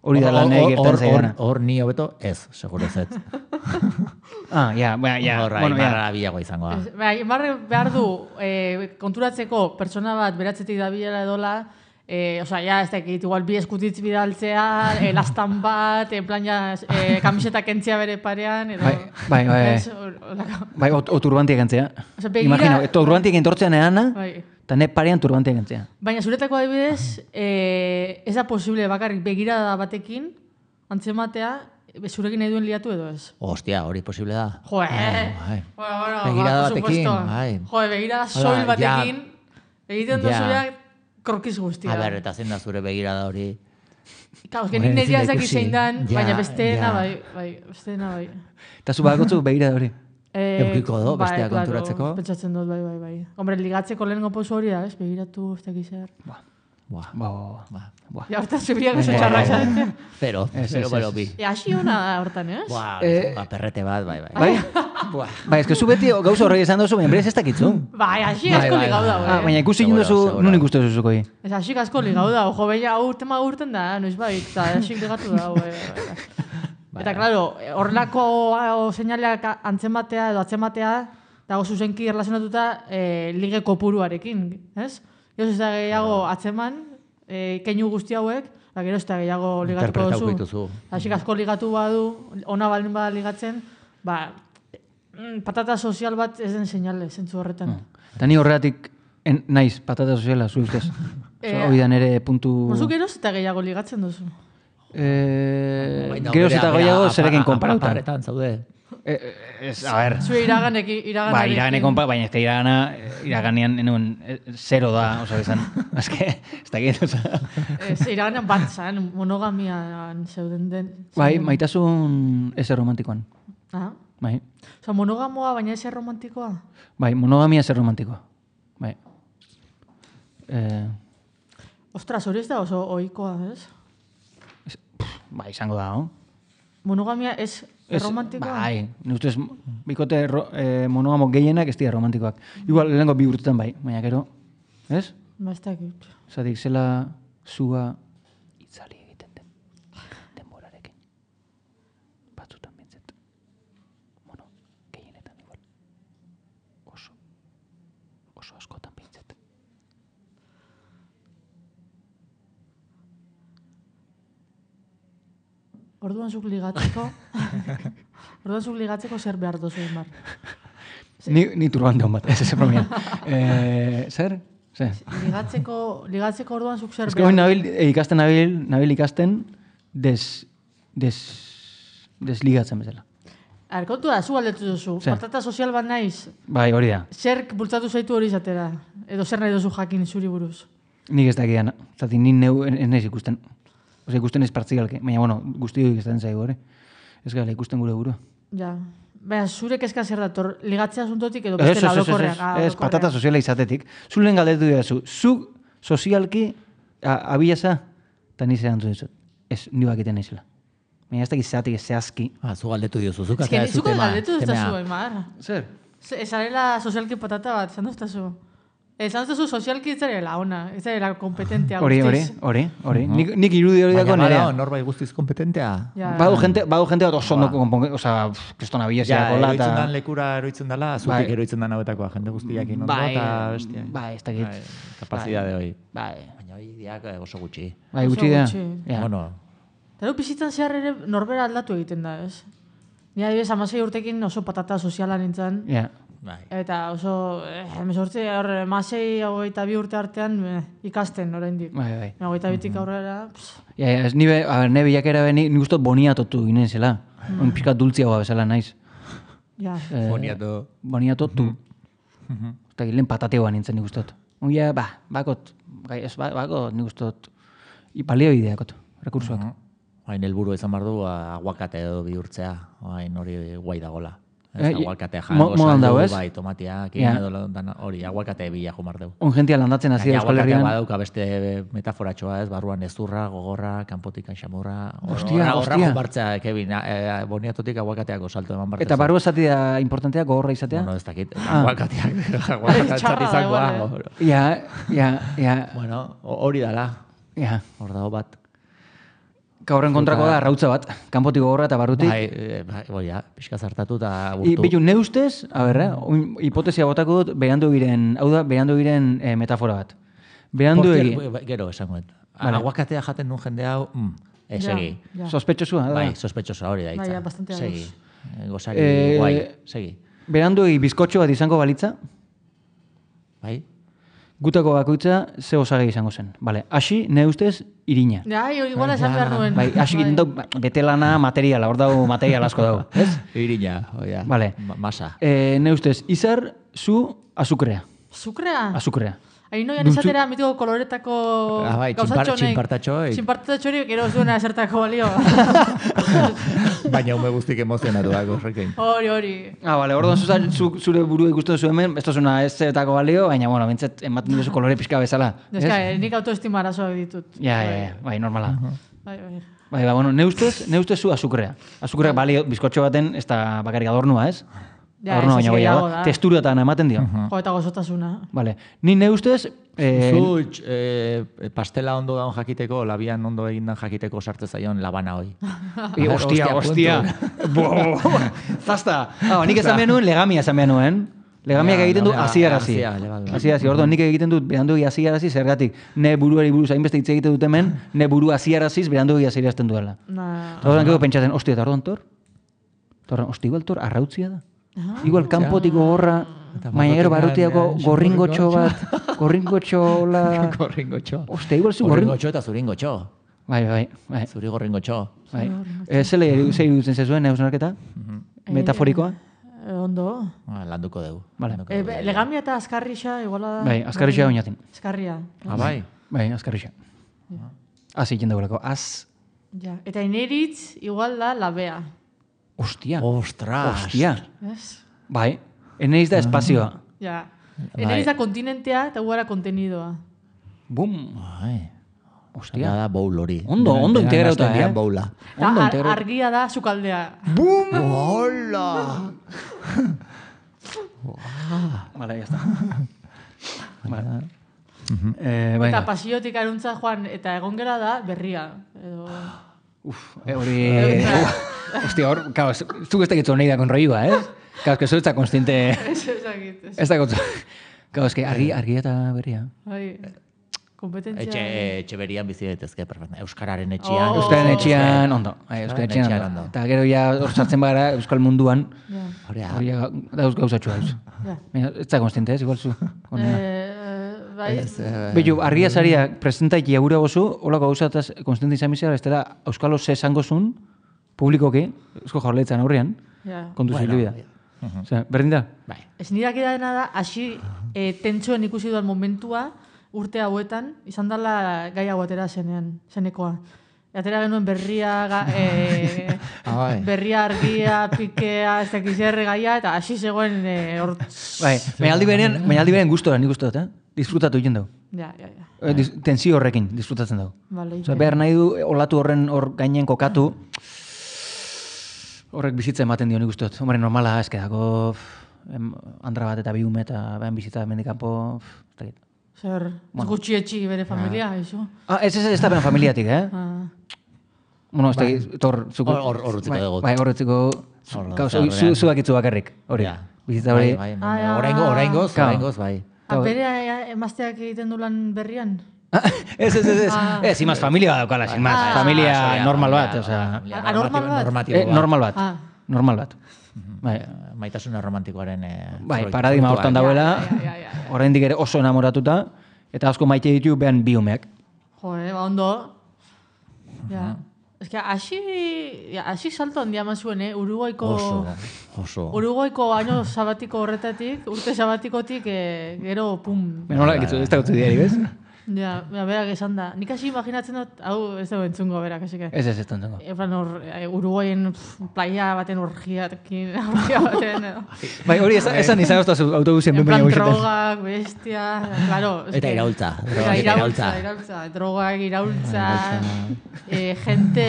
[SPEAKER 2] Hori da lan nahi gertan zaidana.
[SPEAKER 3] Hor ni hobeto ez, seguro ez.
[SPEAKER 2] Ja.
[SPEAKER 3] Imarra bilagoa izangoa.
[SPEAKER 4] Imarra behar du konturatzeko pertsona bat beratzetik dabilela edola, osea, ja, ez dakit, igual bi eskutitz bidaltzea, lastan bat, en plan, kamiseta kentzia bere parean, edo...
[SPEAKER 2] Bai, o turbantiak kentzea. Imagino, turbantiak entortzean eana, eta ne parean turbantiak kentzea.
[SPEAKER 4] Baina zuretako adibidez, ez da posible bakarrik begirada batekin, antzematea, zurekin nahi duen liatu edo ez?
[SPEAKER 3] Hostia, hori posible da.
[SPEAKER 4] Begirada batekin, bai. Begirada soil batekin, egiten duzureak, krokiz guztia.
[SPEAKER 3] A ber, eta zein da zure begirada hori.
[SPEAKER 4] Kau, ez genik nedia ezak zein dan, baina besteena bai.
[SPEAKER 2] Eta zu bagotzu begirada hori?
[SPEAKER 3] Eukiko do, bestea konturatzeko?
[SPEAKER 4] Pentsatzen dut, bai. Hombre, ligatzeko lehenengo pozu hori da, ez? Begiratu, ez dakiz zer. Ja, hortan zubiak oso txarrak zaten.
[SPEAKER 3] Pero bi.
[SPEAKER 4] Asi hona da hortan, ez?
[SPEAKER 3] Perrete bat, bai.
[SPEAKER 2] Bai, ez que zu beti gauza horrek esan dozu, enbrez ez dakitzu.
[SPEAKER 4] Bai, asi asko ligau da,
[SPEAKER 2] baina ikusi jinduzu, nun ikustu zuzuko hi.
[SPEAKER 4] Ez asi asko ligau da, jo, baina tema urten da, noiz bai, eta asi ligatu da, Eta, klaro, horrelako seinaleak antzematea edo atzematea, dago zuzenki erlazionatuta lige kopuruarekin, ez? Gero ez da gehiago atzeman, keinu guzti hauek, eta gero ez da gehiago ligatuko duzu. Asik asko ligatu badu, ona baldin bada ligatzen, patata sozial bat ez den seinale, zentzu horretan.
[SPEAKER 2] Eta ni horretik naiz patata soziala, zu ustez. Hori da nire puntu...
[SPEAKER 4] Mozu geroz eta gehiago ligatzen duzu.
[SPEAKER 2] Geroz eta gehiago zerekin konparauta.
[SPEAKER 3] Aparetan zaude.
[SPEAKER 2] A ver.
[SPEAKER 4] Zue iraganekin.
[SPEAKER 2] Ba, iraganekin, baina ez iraganean zero da, oso izan. Azke, ez dakit, oza.
[SPEAKER 4] Iraganean bat zan, monogamian zeuden den.
[SPEAKER 2] Bai, maitasun ez romantikoan. Bai.
[SPEAKER 4] Osa, monogamoa, baina ez romantikoa?
[SPEAKER 2] Bai, monogamia ez romantikoa. Bai.
[SPEAKER 4] Ostras, hori ez da oso ohikoa, ez?
[SPEAKER 2] Bai, izango da, no?
[SPEAKER 4] Monogamia ez romantikoa?
[SPEAKER 2] Bai, ustez, bikote monogamo gehienak ez dira romantikoak. Igual, lehenko bi urtetan bai, baina gero, ez?
[SPEAKER 4] Ba, ez dakit.
[SPEAKER 2] Zatik, zela zua itzali egiten den denborarekin. Batzutan bintzet. Bueno, gehienetan igual. Oso askotan bintzet.
[SPEAKER 4] Orduan zuk ligatzeko zer behar dozu, Aimar?
[SPEAKER 2] Ni turbante hon bat, ez bromean. Zer?
[SPEAKER 4] Ligatzeko orduan zuk zer behar?
[SPEAKER 2] Ez que hori nabil ikasten desligatzen bezala.
[SPEAKER 4] Kontu da, zu aldetu duzu. Patata sozial bat naiz.
[SPEAKER 2] Bai, hori da.
[SPEAKER 4] Zerk bultzatu zaitu hori izatera. edo zer nahi duzu jakin zuri buruz?
[SPEAKER 2] Nik ez dakidan, zati nik neu ez ikusten. Osa ikusten ez partzigalke, baina, bueno, guztiok ikusten zaigu, ez gara ikusten gure burua.
[SPEAKER 4] Ja, baina zure kezka zer dator, ligatzea asuntotik edo bestela alokorrean?
[SPEAKER 2] Ez, patata soziala izatetik. Zulen galdetu dira zu, sozialki abiaza, eta ni zerantu dizut. Ez, ni bakiten naizela. Baina ez dakit zeatik ez zehazki.
[SPEAKER 3] Zu galdetu diozu, zuk
[SPEAKER 4] atea ez tema. Galdetu duztazu, Aimar.
[SPEAKER 2] Zer?
[SPEAKER 4] Ezarela sozialki patata bat, zan duztazu. Esan duzu sozialki ez zarela ona, ez zarela kompetentea guztiz.
[SPEAKER 2] Hori. Nik irudi hori dako nerea.
[SPEAKER 3] Baina, norbait guztiz kompetentea.
[SPEAKER 2] Badu jente bat oso ondo konpongen, oza, kristona biesiako lata.
[SPEAKER 3] Eroitzen dan lekura eroitzen dela, zutik eroitzen dan hauetakoa, jende guztiak inondo eta bestia.
[SPEAKER 2] Bai, ez dakit.
[SPEAKER 3] Kapazidade hoi.
[SPEAKER 2] Baina
[SPEAKER 3] hoi diak oso gutxi.
[SPEAKER 2] Bai, gutxi da.
[SPEAKER 3] Bueno.
[SPEAKER 4] Eta bizitzan zehar ere norbera aldatu egiten da, ez? Ni adibidez 16 urtekin oso patata soziala nintzen. Eta oso, emezortzi, 16-22 urte artean ikasten oraindik.
[SPEAKER 2] Bai.
[SPEAKER 4] 22tik aurrera.
[SPEAKER 2] Ne bilakera beni, nik ustot boniatotu ginen zela. Piskat dultziagoa bezala naiz. Boniatotu. Eta gilen patateoa nintzen nik ustot. Bakot nik ustot. Balio ideakot, rekursuak.
[SPEAKER 3] Hain helburu izan behar du, aguakate edo bihurtzea. Hain hori guai dagoela. Aguakatea jango saldu, bai, tomatiak, hori, aguakatea bila jomar dugu.
[SPEAKER 2] Ongentia landatzen hasi Euskal Herrian.
[SPEAKER 3] Aguakatea badauka beste metaforatxoa ez, barruan ezurra, gogorra, kanpotik xamurra.
[SPEAKER 2] Hostia.
[SPEAKER 3] Horra jombartzea, Kevin, boniatotik aguakateako salto eman bartez.
[SPEAKER 2] Eta barru esati da importantea, gogorra izatea?
[SPEAKER 3] Bueno, ez dakit, aguakatea txat izangoa.
[SPEAKER 2] Ja.
[SPEAKER 3] Bueno, hori dala. Hor dago bat.
[SPEAKER 2] Horren kontrako da, arrautza bat, kanpotik gogorra eta barrutik.
[SPEAKER 3] Bai, pixka zartatu eta burtu.
[SPEAKER 2] Bitu, ne ustez, hipotesia botako dut, berandu giren, hau da, berandu giren metafora bat. Berandu egin.
[SPEAKER 3] Gero, esan guen. Aguakatea jaten duen jende hau, segi.
[SPEAKER 2] Sospetxosua, da?
[SPEAKER 3] Bai, sospetxosua hori da itza.
[SPEAKER 4] Bai, bastante
[SPEAKER 3] segi. Gozari, guai, segi.
[SPEAKER 2] Berandu egin bizkotxo bat izango balitza?
[SPEAKER 3] Bai.
[SPEAKER 2] Gutako bakoitza ze osagai izango zen. Bale, hasi, ne ustez, irina.
[SPEAKER 4] Igual esan behar nuen.
[SPEAKER 2] Bai, hasi egiten dau, betelana materiala, hor dago material asko dago. Ez?
[SPEAKER 3] Irina, oia.
[SPEAKER 2] Bale.
[SPEAKER 3] Masa.
[SPEAKER 2] Ne ustez, izar, zu, azukrea.
[SPEAKER 4] Azukrea?
[SPEAKER 2] Azukrea.
[SPEAKER 4] Hain noian izatera mitiko koloretako gauzatxonek.
[SPEAKER 3] Txinpartatxoik.
[SPEAKER 4] Txinpartatxorik, ero zuena esertako balio.
[SPEAKER 3] Baina ume guztik emozionatuak horrekin.
[SPEAKER 4] Hori.
[SPEAKER 2] Bale, orduan zure burua ikusten zu hemen, ez tozuna ez zertako balio, baina, bueno, bintzat, ematen duzu kolore pixka bezala.
[SPEAKER 4] Nik autoestima arazoak ditut.
[SPEAKER 2] Bai, normala.
[SPEAKER 4] Bai.
[SPEAKER 2] Bueno, ne ustez zu azukrea. Azukrea balio, bizkotxo baten, ez da bakarrik adornua, ez? Adornua baina gehiago da. Testuretan ematen dio.
[SPEAKER 4] Eta gozotasuna.
[SPEAKER 2] Vale. Ni ne ustez...
[SPEAKER 3] Zu pastela ondo daun jakiteko, labian ondo egindan jakiteko sartze zaion labana hoi.
[SPEAKER 2] Hostia. Zasta. Nik esan behar nuen, legamia esan behar nuen. Legamiak egiten du hasiarazi. Orduan nik egiten dut berandu hasiarazi zergatik. Ne buruari buruz hainbeste hitz egiten dut hemen, ne buru hasiaraziz berandu hasiarazten duela. Orduan gero pentsatzen, hostia, eta orduan tor? Igual tor arrautzia da. Igual kanpotik gogorra, baina gero barrutiako gorringotxo bat, gorringotxola...
[SPEAKER 3] Gorringotxo.
[SPEAKER 2] Ostia, igual zu
[SPEAKER 3] gorringotxo eta zuringotxo.
[SPEAKER 2] Bai.
[SPEAKER 3] Zuri gorringotxo.
[SPEAKER 2] Zer iruditzen zezuen, neuzunarketa? Metaforikoa?
[SPEAKER 4] Ondo.
[SPEAKER 3] Landuko dugu.
[SPEAKER 4] Legamia eta azkarrixa, iguala da...
[SPEAKER 2] Bai, azkarrixa oinatin.
[SPEAKER 4] Azkarria.
[SPEAKER 3] Bai?
[SPEAKER 2] Bai, azkarrixa. Az egiten dugulako, az...
[SPEAKER 4] Eta ineritz, igual da labea.
[SPEAKER 3] Ostras.
[SPEAKER 2] Bai, eneiz da espazioa.
[SPEAKER 4] Eneiz da kontinentea eta guara kontenidoa.
[SPEAKER 2] Bum.
[SPEAKER 3] Ostia. Da bowl hori.
[SPEAKER 2] Ondo integrauta,
[SPEAKER 4] Argia da sukaldea.
[SPEAKER 2] Bum.
[SPEAKER 3] Hola.
[SPEAKER 2] Vale, ya está.
[SPEAKER 4] Eta pasiotik aruntza joan, eta egon gera da berria.
[SPEAKER 2] Hori... Hostia, hor, zuk ez dakitzu nahi da konroioa, ez? Claro, que eso está consciente... Ez da kontu... Claro, es que argia eta berria.
[SPEAKER 4] Kompetentzia...
[SPEAKER 3] Etxe berian bizi daitezke, perfecto. Euskararen etxean.
[SPEAKER 2] Euskararen etxean, ondo. Euskararen etxean, ondo. Eta gero ja hor sartzen bagara Euskal munduan. Hori dauz gauzatxo dauz. Ez da consciente, ez? Igual zu. Behu, argia zaria presentaiki agura gozu, holako gauzataz konstante izan bizera, ez dela Euskalo ze esango zun, publikoki, Eusko Jaurlaritzan aurrean, kontu zilibida. Berdin da?
[SPEAKER 4] Ez nirak edadena da, hasi tentsoen ikusi duan momentua, urte hauetan, izan dela gai hau atera zenekoa. Atera genuen berria, berria argia, pikea, ez dakiz gaia, eta hasi zegoen hor...
[SPEAKER 2] Bai, baina aldi beren gustora, nik uste dut, disfrutatu egin dugu.
[SPEAKER 4] Ja.
[SPEAKER 2] Tensio horrekin disfrutatzen dugu.
[SPEAKER 4] Vale,
[SPEAKER 2] behar nahi du, olatu horren hor gainen kokatu, horrek bizitza ematen dio nik uste dut. Hombre, normala, eskedako, andra bat eta bi ume eta behan bizitza mendikampo, ez dakit.
[SPEAKER 4] Zer, gutxi etxi bere familia, iso?
[SPEAKER 2] Ez da beren familiatik, Bueno, ez dakit,
[SPEAKER 3] hor utziko dugu.
[SPEAKER 2] Bai, hor utziko, zuak itzu bakarrik, hori. Bizitza hori.
[SPEAKER 3] Oraingoz, bai.
[SPEAKER 4] Bere emazteak egiten du lan berrian?
[SPEAKER 2] Ez. Imaz, familia daukala, imaz. Familia normal bat, osea.
[SPEAKER 4] Normal bat?
[SPEAKER 2] Normal bat.
[SPEAKER 3] Maitasuna romantikoaren...
[SPEAKER 2] Bai, paradigma hortan dauela, oraindik ere oso enamoratuta, eta asko maite ditu behan bi umeak.
[SPEAKER 4] Ondo. Ez que, hasi salto handia mazuen, Uruguaiko...
[SPEAKER 3] Oso.
[SPEAKER 4] Uruguaiko año sabatiko horretatik, urte sabatikotik, gero, pum.
[SPEAKER 2] Nola, ez da gutzu diari, bez?
[SPEAKER 4] Ja, berak esan da. Nik hasi imaginatzen dut, hau ez dugu entzungo berak, hasi que.
[SPEAKER 2] Ez entzungo.
[SPEAKER 4] Uruguayen playa baten orgiatekin,
[SPEAKER 2] Bai, hori esan izan oztazu autobusien
[SPEAKER 4] ben baina guixetan. En plan drogak, bestia, claro.
[SPEAKER 3] Eta
[SPEAKER 4] iraultza. Drogak, iraultza, gente,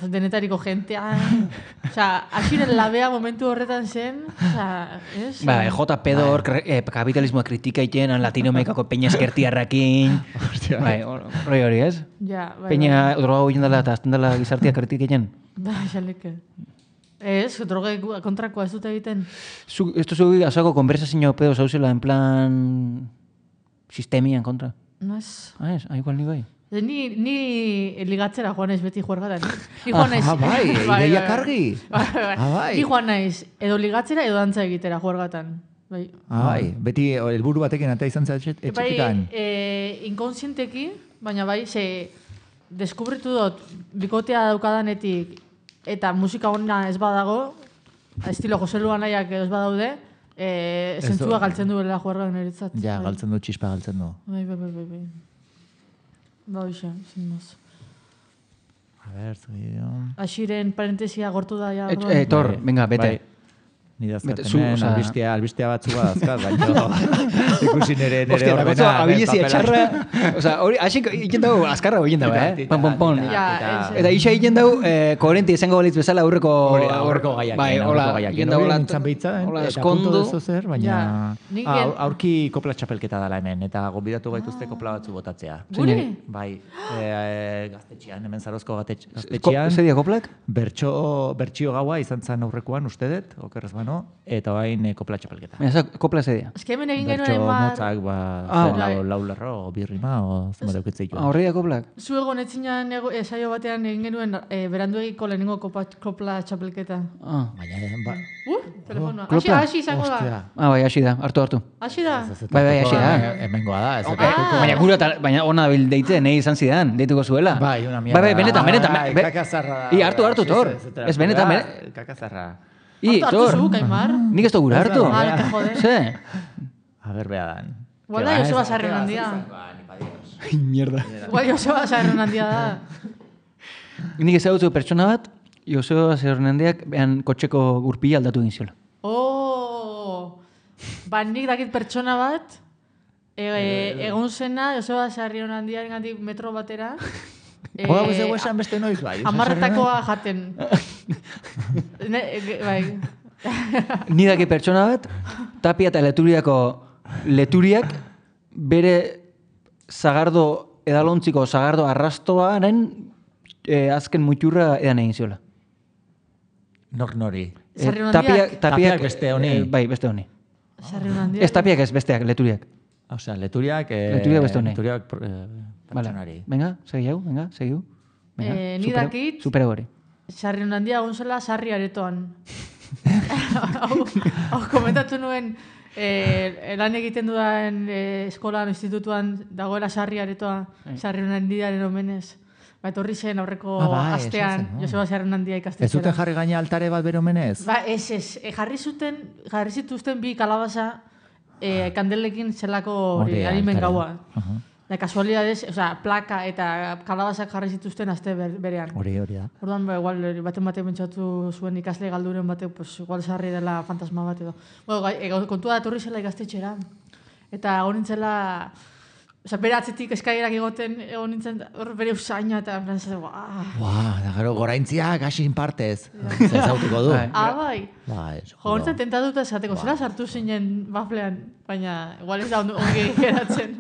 [SPEAKER 4] denetariko gentea. Osea, hasiren labea momentu horretan zen, ez?
[SPEAKER 2] Bai, JP hor kapitalismoa kritika iten, Latinoamerikako peña eskertiarrakin. Bai, hori, ez?
[SPEAKER 4] Ja, bai.
[SPEAKER 2] Peña droga guen dela eta azten dela gizartia kritika iten.
[SPEAKER 4] Bai, xaleke. Ez, droga kontrakoa ez dut egiten.
[SPEAKER 2] Ez duzu azako konversazio pedo zauzela en plan sistemian kontra?
[SPEAKER 4] Ez.
[SPEAKER 2] Ez, igual ni bai.
[SPEAKER 4] Ni ligatzera joan naiz beti juergatan. Ni joan naiz.
[SPEAKER 3] Bai, ideia kargi.
[SPEAKER 4] Ni joan naiz edo ligatzera edo dantza egitera juergatan.
[SPEAKER 3] Bai, beti helburu batekin eta izan etxepikan.
[SPEAKER 4] Inkonsienteki, baina bai, deskubritu dut bikotea daukadanetik eta musika hona ez badago, estilo Jose Luan nahiak ez badaude, zentzua galtzen duela juergan eritzat.
[SPEAKER 3] Ja, galtzen du, txispa galtzen du.
[SPEAKER 4] Bai. Hoxe, sin más.
[SPEAKER 3] A ver, seguido.
[SPEAKER 4] Axiren parentesia gortu da ja.
[SPEAKER 2] Tor, venga, bete.
[SPEAKER 3] Ni dazkaten, albistea batzua dazkat, baina ikusi nire ordena.
[SPEAKER 2] Abilezia txarra, hori, asik egin dugu, azkarra egin dugu, Pon. Eta isa egin dugu, koherenti izango balitz bezala aurreko
[SPEAKER 3] gaiak.
[SPEAKER 2] Bai, hola, egin dugu
[SPEAKER 3] eta punto dezo zer, baina aurki kopla txapelketa dela hemen, eta gonbidatu gaituzte kopla batzu botatzea.
[SPEAKER 4] Gure?
[SPEAKER 3] Bai, gaztetxean, hemen Zarozko gaztetxean.
[SPEAKER 2] Zer dia koplak?
[SPEAKER 3] Bertxio gaua izan zen aurrekoan, ustedet, okerrez bano, eta hain kopla txapelketa.
[SPEAKER 2] Kopla zedia.
[SPEAKER 4] Ez que hemen egin genuen
[SPEAKER 3] motzak, lau lerro, o birrima, o zema deukitzeitu.
[SPEAKER 2] Horria koplak?
[SPEAKER 4] Zuego netzinan saio batean egin genuen beranduegiko lehenengo kopla txapelketa. Telefonoa. Hasi izango da.
[SPEAKER 2] Bai, hasi da, hartu.
[SPEAKER 4] Hasi da?
[SPEAKER 2] Bai, hasi da.
[SPEAKER 3] Hemengoa da.
[SPEAKER 2] Baina gura, baina ona bil deitzen, nahi izan zidan, deituko zuela.
[SPEAKER 3] Bai, una mierda.
[SPEAKER 2] Bai, benetan.
[SPEAKER 3] Kakazarra.
[SPEAKER 2] Hartu, Tor. Ez benetan.
[SPEAKER 3] Kakazarra.
[SPEAKER 4] Tor, Kaimar.
[SPEAKER 2] Nik ez dugu hartu.
[SPEAKER 4] Te jode.
[SPEAKER 2] Ze?
[SPEAKER 3] A ver, beadan.
[SPEAKER 4] Guarda, Joseba Sarren handia.
[SPEAKER 2] Mierda.
[SPEAKER 4] Guarda, Joseba Sarren handia da.
[SPEAKER 2] Nik ezagutu pertsona bat, Joseba Sarren handiak behan kotxeko gurpila aldatu egin ziola.
[SPEAKER 4] Nik dakit pertsona bat, egon zena Joseba Sarren handiaren gandik metro batera,
[SPEAKER 3] Hora guzegu esan beste noiz bai.
[SPEAKER 4] Amarretakoa jaten. Bai.
[SPEAKER 2] Ni daki pertsona bat, Tapia eta leturiak bere zagardo edalontziko zagardo arrastoaren azken muturra edan egin ziola.
[SPEAKER 3] Nori.
[SPEAKER 2] Tapiak
[SPEAKER 3] beste honi.
[SPEAKER 2] Bai, beste honi. Ez Tapiak ez besteak, leturiak.
[SPEAKER 3] Osea, leturiak
[SPEAKER 2] beste honi.
[SPEAKER 3] Pertsonari.
[SPEAKER 2] Venga, segiu.
[SPEAKER 4] Ni dakit.
[SPEAKER 2] Supera hori.
[SPEAKER 4] Sarrion handia gonzela sarri aretoan. Hau komentatu nuen lan egiten dudan eskolan, institutuan dagoela sarri aretoa, Sarrion handiaren omenez. Etorri zen aurreko astean, Joseba Sarrion handia ikastetxera.
[SPEAKER 3] Ez zuten jarri gaina altare bat bere omenez?
[SPEAKER 4] Ez. Jarri zituzten bi kalabaza kandelekin zelako arimen gaua. Da, kasualidades, plaka eta kalabazak jarri zituzten aste berean.
[SPEAKER 3] Hori da.
[SPEAKER 4] Orduan, igual, baten pentsatu zuen ikasle galduren batek, pues, igual sarri dela fantasma bat edo. Bueno, kontua datorri zela ikastetxera. Eta egon nintzela, bere atzetik eskailerak egon nintzen, hor bere usaina eta frantzese,
[SPEAKER 3] da gero, goraintziak hasin partez. Zautuko du.
[SPEAKER 4] Bai. Nintzen tentatuta esateko, zela sartu zinen baflean, baina igual ez da ongi geratzen.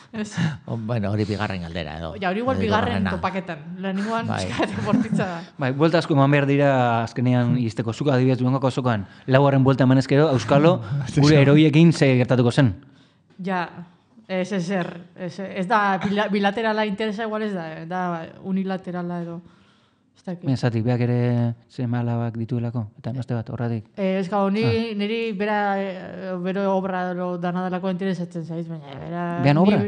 [SPEAKER 3] Bueno, hori bigarren galdera edo.
[SPEAKER 4] Ja, hori igual bigarren topaketan. Lehenengoan, eskate bortitza da.
[SPEAKER 2] Bai, buelta asko eman behar dira azkenean izteko zuka adibidez duengoko azokan. Laugarren buelta eman ezkero, Euskalo, gure heroiekin ze gertatuko zen.
[SPEAKER 4] Ja, ez da bilaterala interesa igual ez da unilaterala edo.
[SPEAKER 2] Zatik, beak ere seme-alabak dituelako, eta noste bat, horratik.
[SPEAKER 4] Ez gau, niri bero obra dana delako interesatzen zaiz, baina
[SPEAKER 2] bean obra?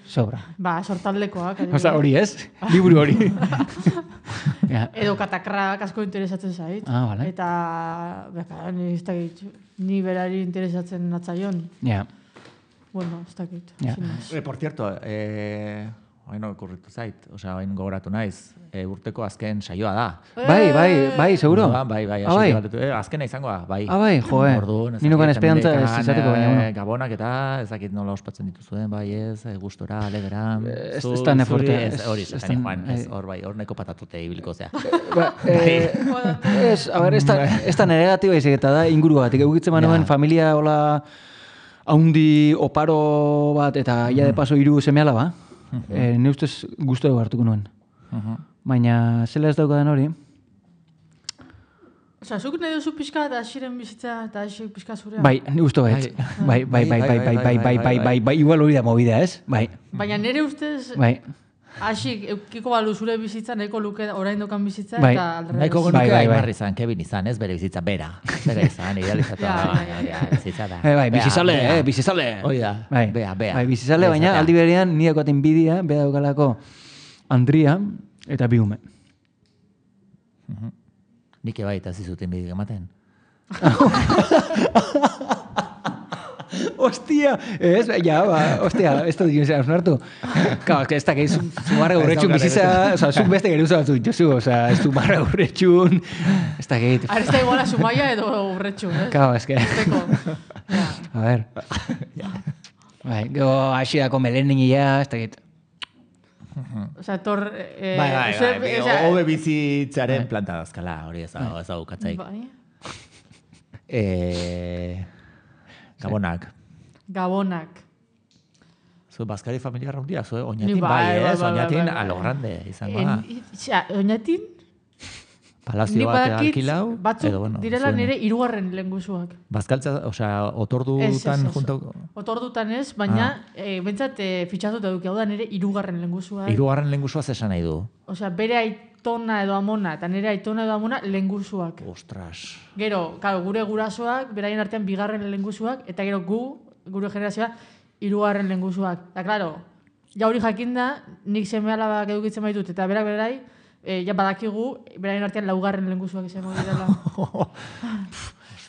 [SPEAKER 2] Sobra.
[SPEAKER 4] Ba, sortaldekoak.
[SPEAKER 2] Osa, hori ez? Liburu hori.
[SPEAKER 4] Edo katakrak asko interesatzen zaiz.
[SPEAKER 2] Bale.
[SPEAKER 4] Eta, ni berari interesatzen natzaion.
[SPEAKER 2] Ja.
[SPEAKER 4] Bueno, ez dakit.
[SPEAKER 3] Por cierto, hain okurritu zait, hain gogoratu naiz, urteko azken saioa da.
[SPEAKER 2] Bai, seguro?
[SPEAKER 3] Bai, azkena izangoa, bai.
[SPEAKER 2] Bai, joe, ninukan esperantza ez izateko baina.
[SPEAKER 3] Gabonak eta ezakit nola ospatzen dituzuen, bai ez, gustora, alegeran.
[SPEAKER 2] Ez da neforte.
[SPEAKER 3] Hori, zetan joan, hor bai, hor neko patatute ibiliko zea.
[SPEAKER 2] Ez da negatiba izik eta da inguru bat, egukitzen manuen familia hola haundi oparo bat eta ia de paso 3 seme-alaba. Ne ustez gustora hartuko nuen. Baina zela ez daukadan hori.
[SPEAKER 4] Zuk nahi duzu pixka eta asiren bizitza eta asik pixka zurea?
[SPEAKER 2] Bai, ne gustu baiet. Bai, igual hori da movida, ez? Bai.
[SPEAKER 4] Baina nire ustez...
[SPEAKER 2] Bai.
[SPEAKER 4] Asik, eukiko balu zure bizitza, nahiko luke orain dokan bizitza,
[SPEAKER 2] bai.
[SPEAKER 4] eta alderrez.
[SPEAKER 3] Nahiko genuke Aimarri izan, Kevin izan, ez bere bizitza, bera izan, idealizatu. Bizitza da.
[SPEAKER 2] Bai, bizizale.
[SPEAKER 3] Hoi da, bea.
[SPEAKER 2] Bai, bizizale, baina aldi berean ni dagoaten bidia, bea daukalako Andria eta bi ume.
[SPEAKER 3] Nik bai eta zizuten bidik ematen.
[SPEAKER 2] Ostia, ez da dien zera osnartu. Ez da, zumarra urretxun bizitza, zuk beste geruza batzu dituzu, ez du marra urretxun, ez da gehit.
[SPEAKER 4] Ez da iguala sumaia edo urretxun, ez?
[SPEAKER 2] Ez que. A ver. Gero, hasidako meleningia, ez da gehit.
[SPEAKER 4] Osa, tor...
[SPEAKER 3] Hobe bizitzaren planta dazkala, hori ez hau katzaik.
[SPEAKER 4] Gabonak.
[SPEAKER 3] Zu, Baskari familia raundia, zu, oinatin bai, ez? Oinatin alo grande izango da.
[SPEAKER 4] Oinatin?
[SPEAKER 3] Palazio bat alkilau.
[SPEAKER 4] Batzuk direla nire 3. lehengusuak.
[SPEAKER 3] Bazkaltza, otordutan junto...
[SPEAKER 4] Otordutan ez, baina bentsat fitxatuta duk, hau da nire 3. lehengusuak.
[SPEAKER 3] 3. lehengusua zesan nahi du?
[SPEAKER 4] Osea, bere aitona edo amona, eta nire aitona edo amona lehengusuak.
[SPEAKER 3] Ostras.
[SPEAKER 4] Gero, gure gurasoak, beraien artean 2. lehengusuak, eta gero gure generazioa, 3. lehengusuak. Eta, klaro, ja hori jakinda, nik seme-alabak edukitzen baitut, eta berak berai, ja badakigu, beraien artean 4. lehengusuak izango direla.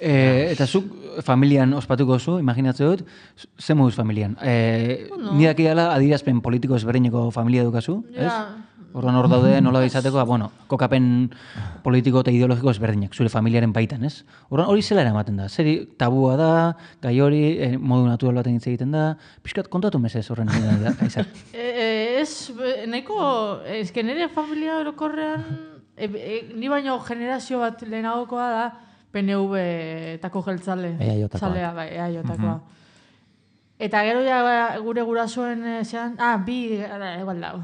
[SPEAKER 2] Eta zuk familian ospatuko zu, imaginatzen dut, ze moduz familian? Ni daki dela adirazpen politiko ezberdineko familia dukazu, ez? Orduan hor daude nola izateko, kokapen politiko eta ideologiko ezberdinak, zure familiaren baitan, ez? Orduan hori zela eramaten da, zeri tabua da, gai hori, modu natural baten hitz egiten da, pixkat kontatu mesez horren da, aizak.
[SPEAKER 4] Nahiko, ezke nire familia orokorrean, ni baino generazio bat lehenagokoa da, PNV tako jeltzale.
[SPEAKER 3] EAJ-takoa.
[SPEAKER 4] Bai, EAJ-takoa. Eta gero ja gure gurasoen zean, bi, egual dago.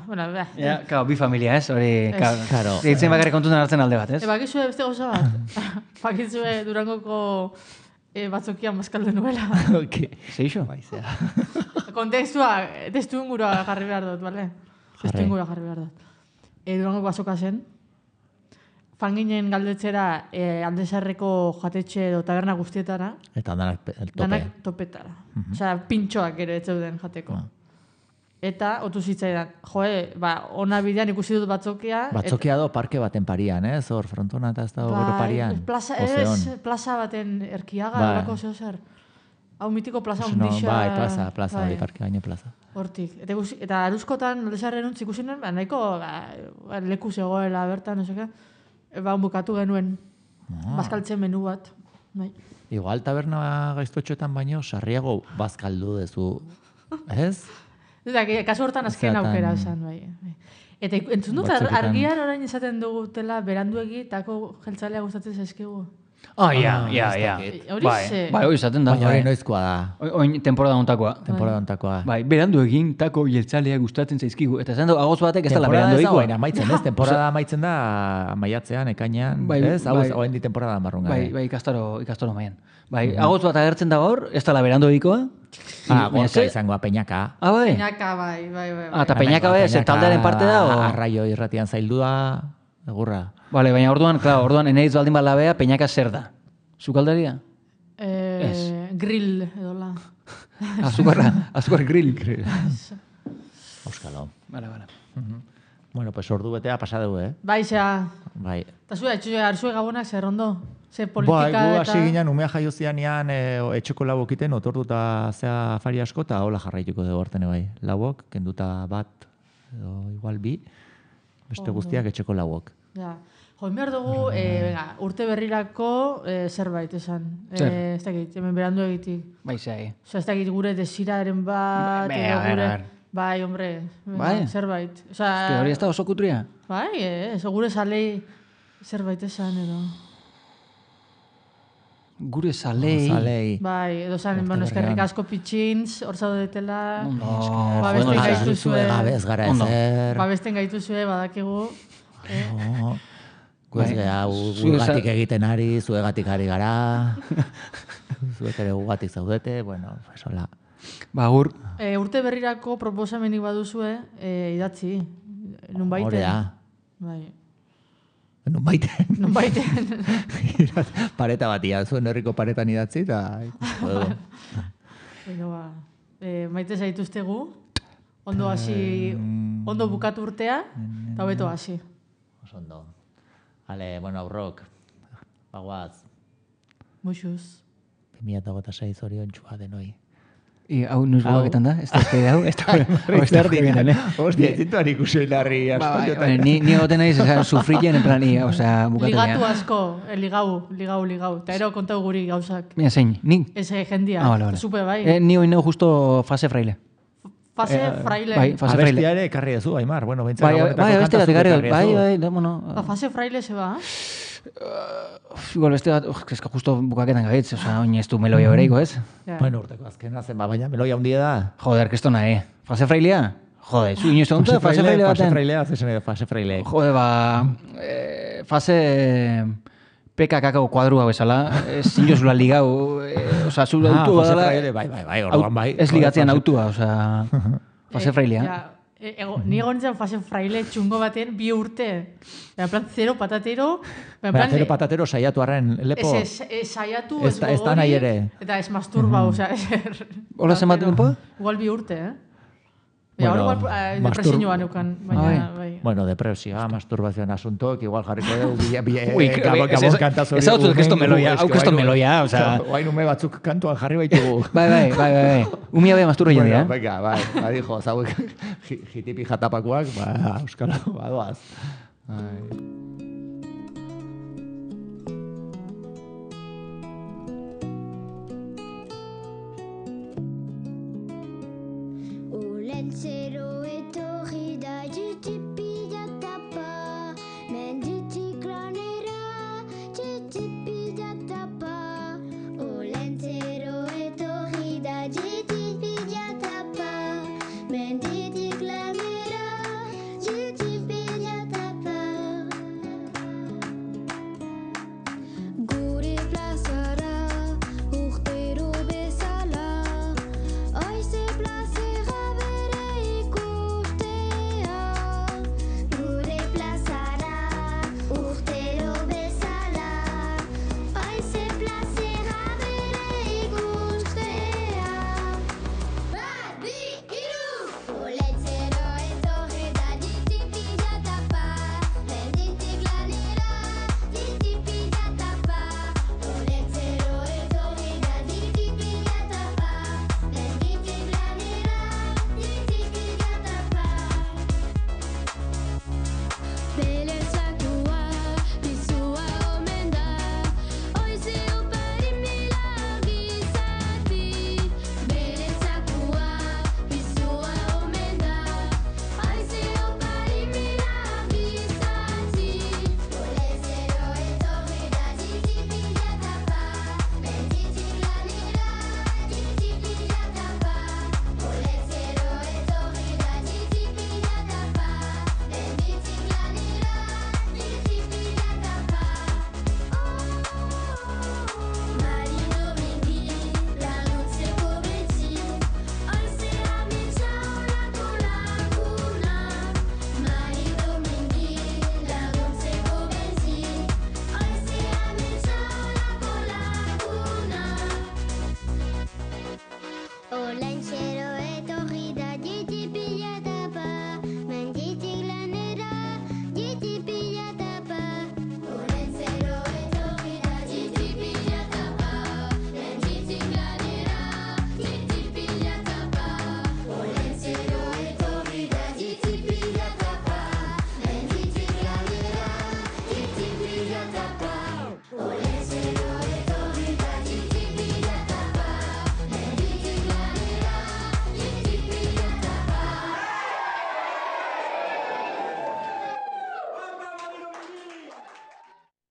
[SPEAKER 2] Bi familia, ez? Hori, karo. Eitzen bakarrik kontutan hartzen alde bat, ez?
[SPEAKER 4] Bakizue beste goza bat. Bakizue Durangoko batzokia mazkalde nuela.
[SPEAKER 2] Zeixo?
[SPEAKER 4] Testu ingurua jarri behar dut, bale? Testu ingurua jarri behar dut. Durangoko batzoka zen. Fanginen galdetzera Aldezarreko jatetxe edo taberna guztietara.
[SPEAKER 3] Eta danak tope.
[SPEAKER 4] Danak topetara. Osea, pintxoak ere ez zeuden jateko. Eta, otu zitzaidan, ona bidean ikusi dut batzokia.
[SPEAKER 3] Batzokia do parke baten parian, ez? Hor, frontona eta ez da gero parian.
[SPEAKER 4] Plaza baten erkiaga, horako zeo zer. hau mitiko plaza hundixa.
[SPEAKER 3] Bai, plaza hori, parke baino plaza.
[SPEAKER 4] Hortik. Eta Aruzkotan, Lodesarren untz ikusi nuen, nahiko leku zegoela bertan, oseka. Bukatu genuen, bazkaltzen menu bat. Bai.
[SPEAKER 3] Igual taberna gaiztotxoetan baino, sarriago bazkaldu dezu, ez?
[SPEAKER 4] Eta, kasu hortan azken aukera esan, bai. Eta entzun dut, argian orain esaten dugutela beranduegi, tako jeltzalea gustatzen zaizkigu.
[SPEAKER 2] Ja. Bai, hori izaten da.
[SPEAKER 3] Baina hori noizkoa da.
[SPEAKER 2] Oin temporada ontakoa. Bai, berandu egin, tako jeltzalea gustatzen zaizkigu. Eta esan du, agoz batek ez dela berandu egikoa.
[SPEAKER 3] Temporada amaitzen da, maiatzean, ekainan, ez? Hau hendi temporada marrun gara.
[SPEAKER 2] Bai, ikastaro maian. Bai, agoz bat agertzen da hor, ez dela berandu egikoa.
[SPEAKER 3] Gorka izangoa, Peñaka.
[SPEAKER 2] Bai?
[SPEAKER 4] Peñaka, bai.
[SPEAKER 2] Eta Peñaka bai, zer taldearen parte da?
[SPEAKER 3] Arraio irratian zaildu da, egurra.
[SPEAKER 2] Bale, baina orduan, eneiz baldin balabea, Peñaka zer da? Zukaldaria?
[SPEAKER 4] Grill, edola.
[SPEAKER 2] Azukar grill.
[SPEAKER 3] Auskalo.
[SPEAKER 2] Bale.
[SPEAKER 3] Bueno, pues ordu betea pasadeu,
[SPEAKER 4] Bai, zea.
[SPEAKER 3] Bai.
[SPEAKER 4] Eta arzue gabonak zer ondo? Ze politika
[SPEAKER 3] eta... Bai, gu hasi ginen, umea jaio zianean, etxeko lauok iten, otorduta zea afari asko, eta hola jarraituko dugu hortene bai. Lauok, kenduta bat, edo igual bi, beste guztiak etxeko lauok.
[SPEAKER 4] Ja. Join behar dugu, urte berrirako zerbait esan. Ez dakit, hemen berandu egitik.
[SPEAKER 2] Bai, zai.
[SPEAKER 4] Ez dakit gure desiraren bat, edo gure... Bai, hombre, zerbait.
[SPEAKER 2] Hori ez da oso kutria?
[SPEAKER 4] Bai, gure salei zerbait esan, edo...
[SPEAKER 2] Gure salei.
[SPEAKER 4] Bai, edo zan, eskerrik asko pitxintz, hor zaudetela.
[SPEAKER 3] Babesten gaituzue. Gabez gara ezer.
[SPEAKER 4] Babesten gaituzue, badakigu.
[SPEAKER 3] Guez gara, gugatik egiten ari, zuegatik ari gara. Zuek ere gugatik zaudete, bueno, esola.
[SPEAKER 2] Bagur.
[SPEAKER 4] Urte berrirako proposamenik baduzue, idatzi. Nun baiten.
[SPEAKER 3] Horea.
[SPEAKER 4] Bai.
[SPEAKER 3] Nun baiten. Pareta batia, zuen herriko paretan idatzi, eta ikusiko dugu.
[SPEAKER 4] Maite zaituztegu, ondo hasi, ondo bukatu urtea, eta hobeto hasi.
[SPEAKER 3] Ondo. Ale, bueno, aurrok, bagoaz.
[SPEAKER 4] Muxuz.
[SPEAKER 3] 2026 zorion txua denoi.
[SPEAKER 2] Hau nuz bukaketan da? Ez da hau? Ez da erdien,
[SPEAKER 3] Hostia, zintuan ikusi larri asko.
[SPEAKER 2] Ni goten naiz, sufrien en plan, bukatzen.
[SPEAKER 4] Ligatu asko, ligau. Eta ero kontau guri gauzak.
[SPEAKER 2] Mira, zein, nik?
[SPEAKER 4] Ez jendia, zupe bai.
[SPEAKER 2] Ni hoi neu justo fase fraile.
[SPEAKER 4] Fase fraile.
[SPEAKER 2] Bai, fase fraile.
[SPEAKER 3] Abestia ere ekarri dezu, Aimar. Bueno,
[SPEAKER 2] bai, abestia bat ekarri dezu. Bai, bueno.
[SPEAKER 4] Fase fraile se ba?
[SPEAKER 2] Igual beste bat, eska justo bukaketan gaitz, oin ez du meloia bereiko, ez?
[SPEAKER 3] Bueno, urteko azkena zen, baina meloia hundia da.
[SPEAKER 2] Joder, kristona, Fase frailea? Joder, zu inoizte hontza, fase fraile baten?
[SPEAKER 3] Fase frailea, zezen fase fraile.
[SPEAKER 2] Joder, fase PKK kuadrua bezala, zinozula ligau, zula autua
[SPEAKER 3] badala. Bai, orduan bai.
[SPEAKER 2] Ez ligatzean autua, fase frailea.
[SPEAKER 4] Ni egon zen fase fraile txungo baten 2 urte. En plan, 0 patatero.
[SPEAKER 3] 0 patatero saiatu arren lepo.
[SPEAKER 4] Saiatu, ez gogori.
[SPEAKER 3] Ez da nahi ere.
[SPEAKER 4] Eta ez masturba,
[SPEAKER 2] Hola zen bat denpo?
[SPEAKER 4] Igual 2 urte, Ahora igual depresioa neukan.
[SPEAKER 3] Bueno, depresioa, masturbazioan asuntoak, igual jarriko dugu gabon kantaz hori.
[SPEAKER 2] Ez hau zut keston meloia,
[SPEAKER 3] Oain ume batzuk kantuan jarri baitugu.
[SPEAKER 2] Bai. Umia beha masturra jendia,
[SPEAKER 3] Venga, bai, dijo, zauek jitipi jatapakoak, euskara, badoaz.
[SPEAKER 5] Ulentzero eta